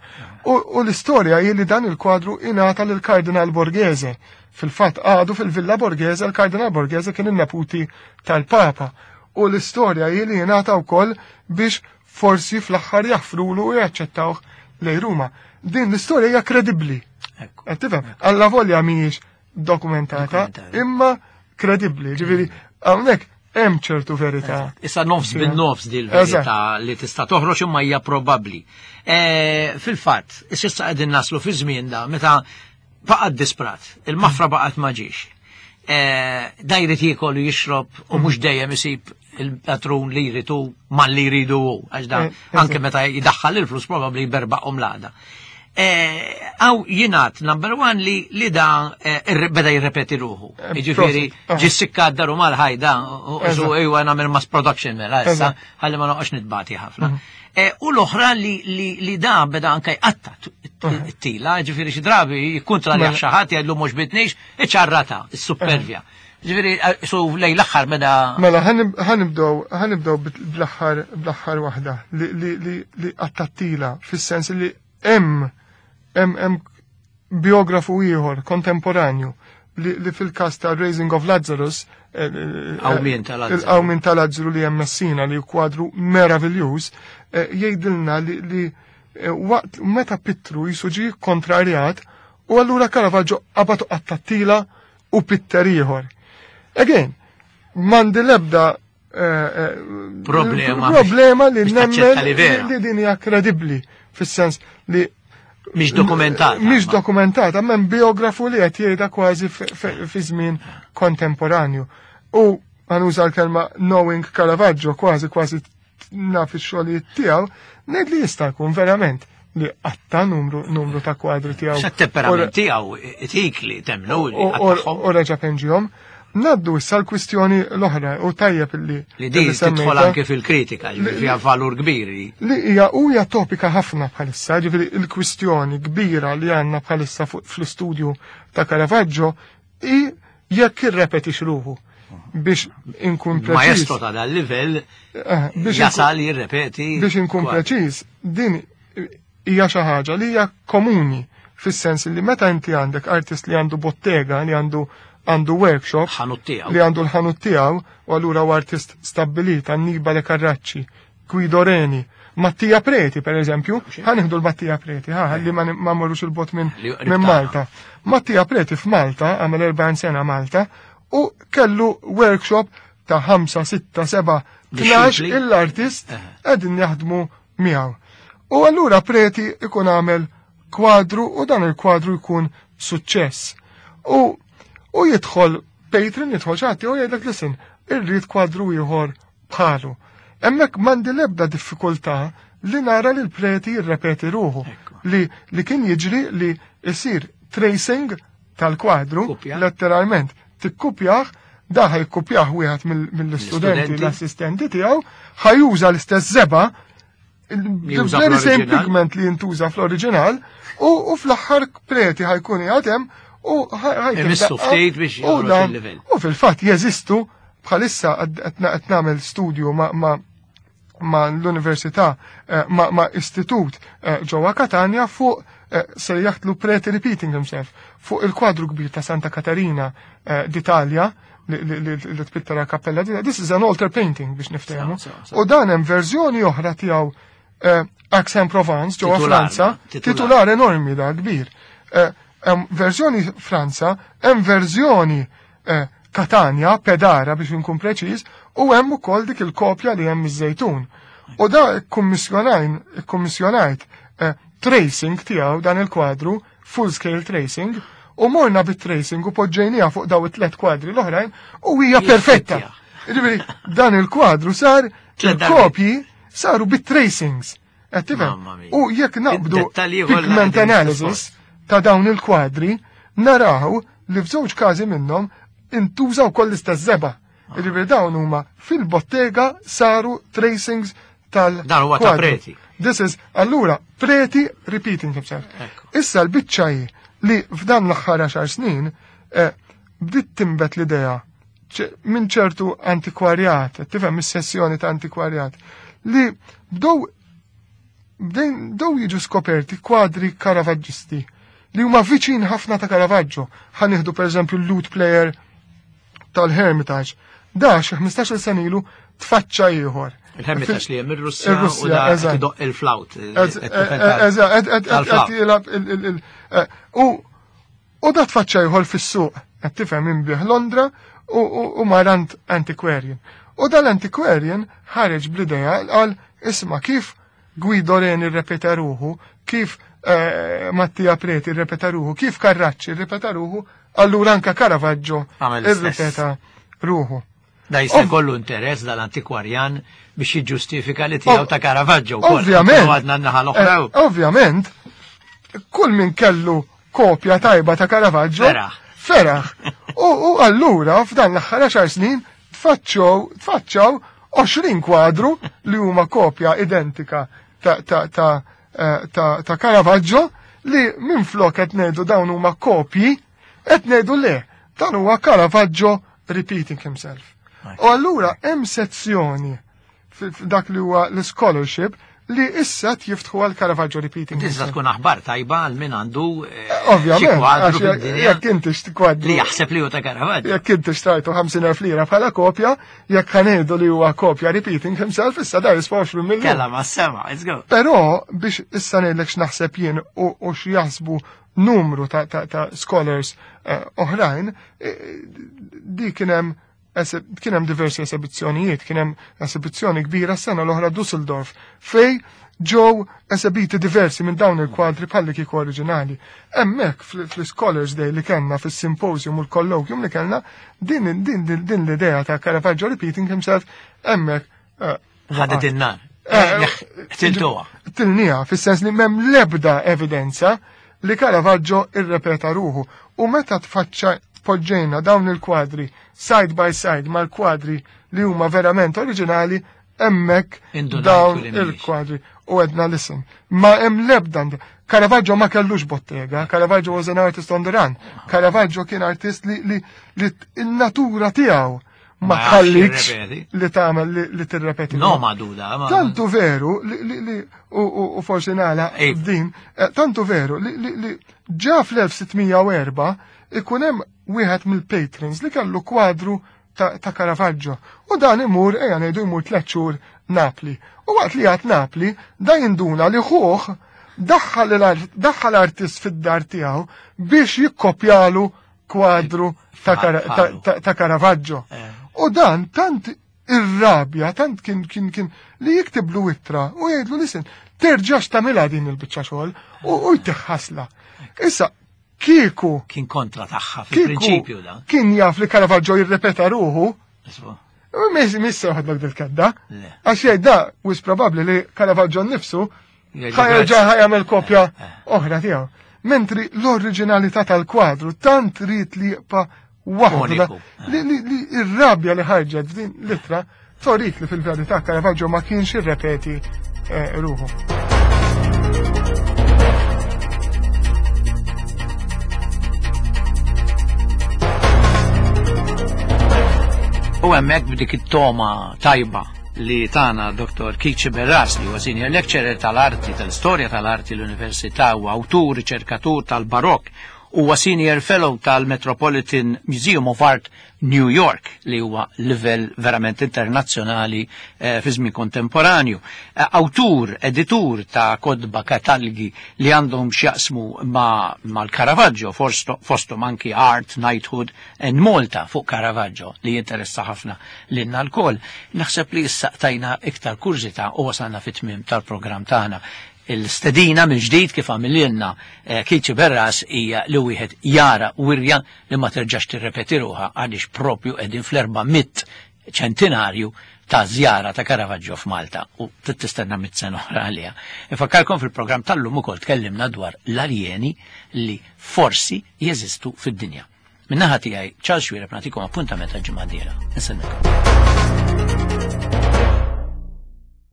U l-istorja hi li dan il-kwadru ingħata lill-Kardinal Borghese. Fil-fatt għadu fil-Villa Borghese, il-Kardinal Borghese kien in-neputi tal-Papa. U l-istorja hi li ingħata wkoll biex forsi fl-aħħar jaħfrulu u jaċċettawh lejn Ruma. Din l-istorja hija kredibbli. Qed tifhem? Alla volja mhijiex dokumentata, imma kredibbli. Ġifieri hawnhekk hemm ċertu verità. Issa nofs bin-nofs din il-verità li tista' toħroġ imma hija probabbli. Fil-fatt, issa qegħdin naslu fi żmien da meta baqgħet disprat, il-mafra baqgħet ma ġiex. Da jrid jiekol u jixrob u mhux dejjem isib il-patrun li jridu mal li jridu hu, għax da anke meta jdaħħal il-flus probabbli jberbaqhom l-għada. Għaw jingħad number one li li da beda jirrepeti ruħu. Jiġifieri ġissikka daru mal-ħajda u ejwa nagħmel mass production mela issa ħalli ma noqgħodx nitbati ħafna. U l-oħra li da beda anke jqatta t-tila, ġifieri xi drabi jikkontra li xi ħadd jgħidlu mhux bitnix, iċarrata, is-supervja. Ġifieri su lejn l-aħħar beda. Mela ħanibdew ħanibdew bl-aħħar bl-aħħar waħda li li qatta t-tila fis-sens li hemm hemm hemm biografu ieħor kontemporanju li, li fil-każ ta' Raising of Lazarus, il-qawmien tal-Lazzru, tal-Lazzru li hemm Messina li kwadru meraviljuż, jgħidilna li, li waqt meta Pittru jisu ġie kontrarjat u allura Caravaggio qabatu qattattila u pitter ieħor. Again, m'għandi l-ebda problema problema li nemmen li din hija kredibbli fis-sens li mhix dokumentata. Mhix dokumentata, hemm biografu li qed jgħidha kważi fi żmien kontemporanju. U għanuża l-kelma knowing Caravaggio kważi kważi naf ix-xogħlijiet tiegħu, ngħid li jista' jkun verament li qatta numru numru ta' kwadri tiegħu. X'temperament tiegħu itik li temnu li qattahom. U reġa' penġihom. Naddu issa l-kwistjoni l-oħra u tajjeb li li din tidħol anke fil-kritika, ġifieri fiha valur kbir. Li hija hija topika ħafna bħalissa, ġifieri l-kwistjoni kbira li għandna bħalissa fl-istudju ta' Caravaggio hi jekk irrepetix ruħu biex inkun preċiż. Maestro ta' dal livell jasal jirrepeti. Biex inkun preċiż, din hija xi ħaġa li hija komuni fis-sens li meta inti għandek artist li għandu bottega, li għandu għandu workshop li għandu l-ħanut tiegħu u allura u artist stabbilit, Annibale Carracci, Guido Reni, Mattia Preti per eżempju, ħanieħdu l-Mattia Preti, ħa li ma morrux il-bot minn Malta. Mattia Preti f'Malta, għamel erbgħin sena Malta, U kellu workshop ta' ħamsa, sitta, seba', tnax l-artist qegħdin jaħdmu miegħu. U allura Preti ikun għamel kwadru u dan il-kwadru jkun suċċess. U, u jidħol patron, jidħol xi ħadd u jgħidlek listen, irrid kwadru ieħor bħalu. Hemmhekk m'għandi l-ebda diffikultà li nara li l-Preti jirrepeti ruħu. Li, li kien jiġri li jsir tracing tal-kwadru, letteralment, tikkupjah, da ħa jikkupjah wieħed mill-istudenti, l-assistenti tiegħu, ħa juża l-istess żebgħa, very same pigment li jintuża fl-oriġinal, u fl-aħħar Preti ħa jkun jgħatem u ħajkun ftit biex il-livell. U fil-fatt jeżistu bħalissa qed nagħmel studju ma' ma' l-università, ma' istitut ġewwa Katania fuq sejjaħtlu Preti repeating himself, fuq il-kwadru kbir ta' Santa Katarina d'Italja li tpittera kappella. This is an altar painting biex niftehmu. U dan hemm verżjoni oħra tiegħu Aix-en-Provence ġewwa Franza, titular enormi da kbir. Hemm verżjoni Franza, hemm verżjoni Katania, Pedara biex nkun preċiż, u hemm ukoll dik il-kopja li hemm iż-Żejtun. U da kkummissjonajn, kkummissjonajt tracing tiegħu dan il-kwadru, full scale tracing, u morna bit-tracing u poġġejnija fuq daw it-tlet kwadri l-oħrajn u hija perfetta. Ġifieri dan il-kwadru sar il-kopji saru bit-tracings. Qed tifhem? U jekk naqbdu pigment analysis ta' dawn il-kwadri, naraw li f'żewġ każi minnhom intużaw koll l-istess żebgħa. Ġifieri dawn huma fil-bottega saru tracings tal Dan huwa ta' Preti. This is, allura, Preti repeating himself. Issa l-biċċa hi li f'dan l-aħħar għaxar snin bdiet timbet l-idea minn ċertu antikwarjat, tifhem is-sessjoni ta' antikwarjat, li bdew bdew jiġu skoperti kwadri Caravaggisti li huma viċin ħafna ta' Caravaggio. Ħa nieħdu pereżempju l-lute player tal-Hermitage. Da xi ħmistax-il sena ilu tfaċċa ieħor. Il-Hermitage li hemm ir-Russja u da idoqq il-flawt. Eżatt, qed jilgħab il u u da tfaċċa ieħor fis-suq, qed tifhem inbih Londra u mar antiquarian. U dal-antiquarian ħareġ bl-idea qal isma' kif Guido Reni rrepeta ruħu, kif Mattia Preti rrepeta ruħu, kif Carracci rrepeta ruħu, allura anka Caravaggio irrepeta ruħu. Da jista' jkollu interess dal-antikwarjan biex jiġġustifika li tiegħu ta' Caravaggio. Ovvjament. Għadna n-naħa l-oħra. Ovvjament, kull min kellu kopja tajba ta' Caravaggio. Feraħ. Feraħ. U allura f'dan l-aħħar għaxar snin tfaċċaw tfaċċaw għoxrin kwadru li huma kopja identika ta' ta' ta' ta' ta' Caravaggio li minn flok qed ngħidu dawn huma kopji, qed ngħidu le, dan huwa Caravaggio repeating himself. U allura hemm sezzjoni f'dak li huwa l-scholarship li issa jiftħu għal Caravaggio repeating. Tista' tkun aħbar tajba għal min għandu Ovvjament, jekk inti kwadru li jaħseb li hu ta' Caravaggio. Jekk inti xtrajtu ħamsin elf lira bħala kopja, jekk ħa ngħidu li huwa kopja repeating himself, issa da jiswa għoxrin miljun. Kella ma sema, let's go. Però biex issa ngħidlek x'naħseb jien u x'jaħsbu numru ta', ta, ta' scholars oħrajn, di kien hemm kien hemm diversi esibizzjonijiet, kien hemm esibizzjoni kbira s-sena l-oħra Dusseldorf, fej ġew esebiti diversi minn dawn il-kwadri bħalli kieku oriġinali. Hemmhekk fl-Scholars Day li kellna fis-symposium u l-colloquium li kellna, din, din, din, din l-idea ta' Caravaggio repeating himself hemmhekk ħadet in-nar. Tiltuha. Tilniha, fis-sens li m'hemm l-ebda evidenza li Caravaggio irrepeta ruħu. U meta tfaċċa poġġejna dawn il-kwadri side by side mal-kwadri li huma verament oriġinali, hemmhekk dawn il-kwadri. U għedna listen, ma hemm l-ebda Caravaggio ma kellux bottega, Caravaggio was an artist on the run. Caravaggio kien artist li, li, li n-natura tiegħu ma tħallikx li tagħmel li, li tirrepeti. No, ma duda. Tantu veru li, li, li u, u, u forsi nagħlaq din, tantu veru li, li, li ġa fl-elf sittmija u erba' ikun hemm wieħed mill-patrons li kellu kwadru ta', ta' Caravaggio. U dan imur, ejja ngħidu jmur tliet xhur Napli. U waqt li għad Napli, da jinduna li ħuh daħħal l-artist fid-dar tiegħu biex jikkopjalu kwadru ta' Caravaggio. U dan tant irrabja, tant kien kien kien li jiktiblu ittra u jgħidlu listen, terġax tagħmilha din il-biċċa xogħol u jtiħħasla. Issa kieku kien kontra tagħha fil-prinċipju da. Kien jaf li Caravaggio jirrepeta ruħu. Mis se joħodlok dil-kedda. Għax jgħid da wis probabbli li Caravaggio nnifsu ħajerġa' ħajamel kopja oħra tiegħu. Mentri l-oriġinalità tal-kwadru tant trid li jibqa' waħda li r-rabja li ħarġet f'din l-ittra torik li fil-verità Caravaggio ma kienx irrepeti ruħu. U hemmhekk b'dik it-toma tajba li tana Doktor Keith Sciberras, li huwa senior lecturer tal-arti, tal-istorja tal-arti l-Università u awtur riċerkatur tal-Barokk, huwa senior fellow tal-Metropolitan Museum of Art New York, li huwa livell verament internazzjonali eh, fi żmien kontemporanju. Eh, awtur, editur ta' kodba katalgi li għandhom x'jaqsmu ma' mal-Caravaggio, fosthom anki Art, Knighthood and Malta fuq Caravaggio, li jinteressa ħafna lilna lkoll. Naħseb li issa tajna iktar kurżità u wasalna fit-tmiem tal-programm tagħna. Il-stedina mill-ġdid kif għamililna Keith Sciberras hija li wieħed jara wirja li ma terġax tirrepeti ruħha għaliex propju qegħdin fl-erba' mitt ċentinarju ta' żjara ta' Caravaggio f'Malta u tistenna mitt sena oħra għaliha. Infakkarkom fil-programm tal-lum ukoll tkellimna dwar l-aljeni li forsi jeżistu fid-dinja. Min-naħa tiegħi Charles Xuereb nagħtikom appuntament għall-ġimgħa d-dieħla. Insellmilkom.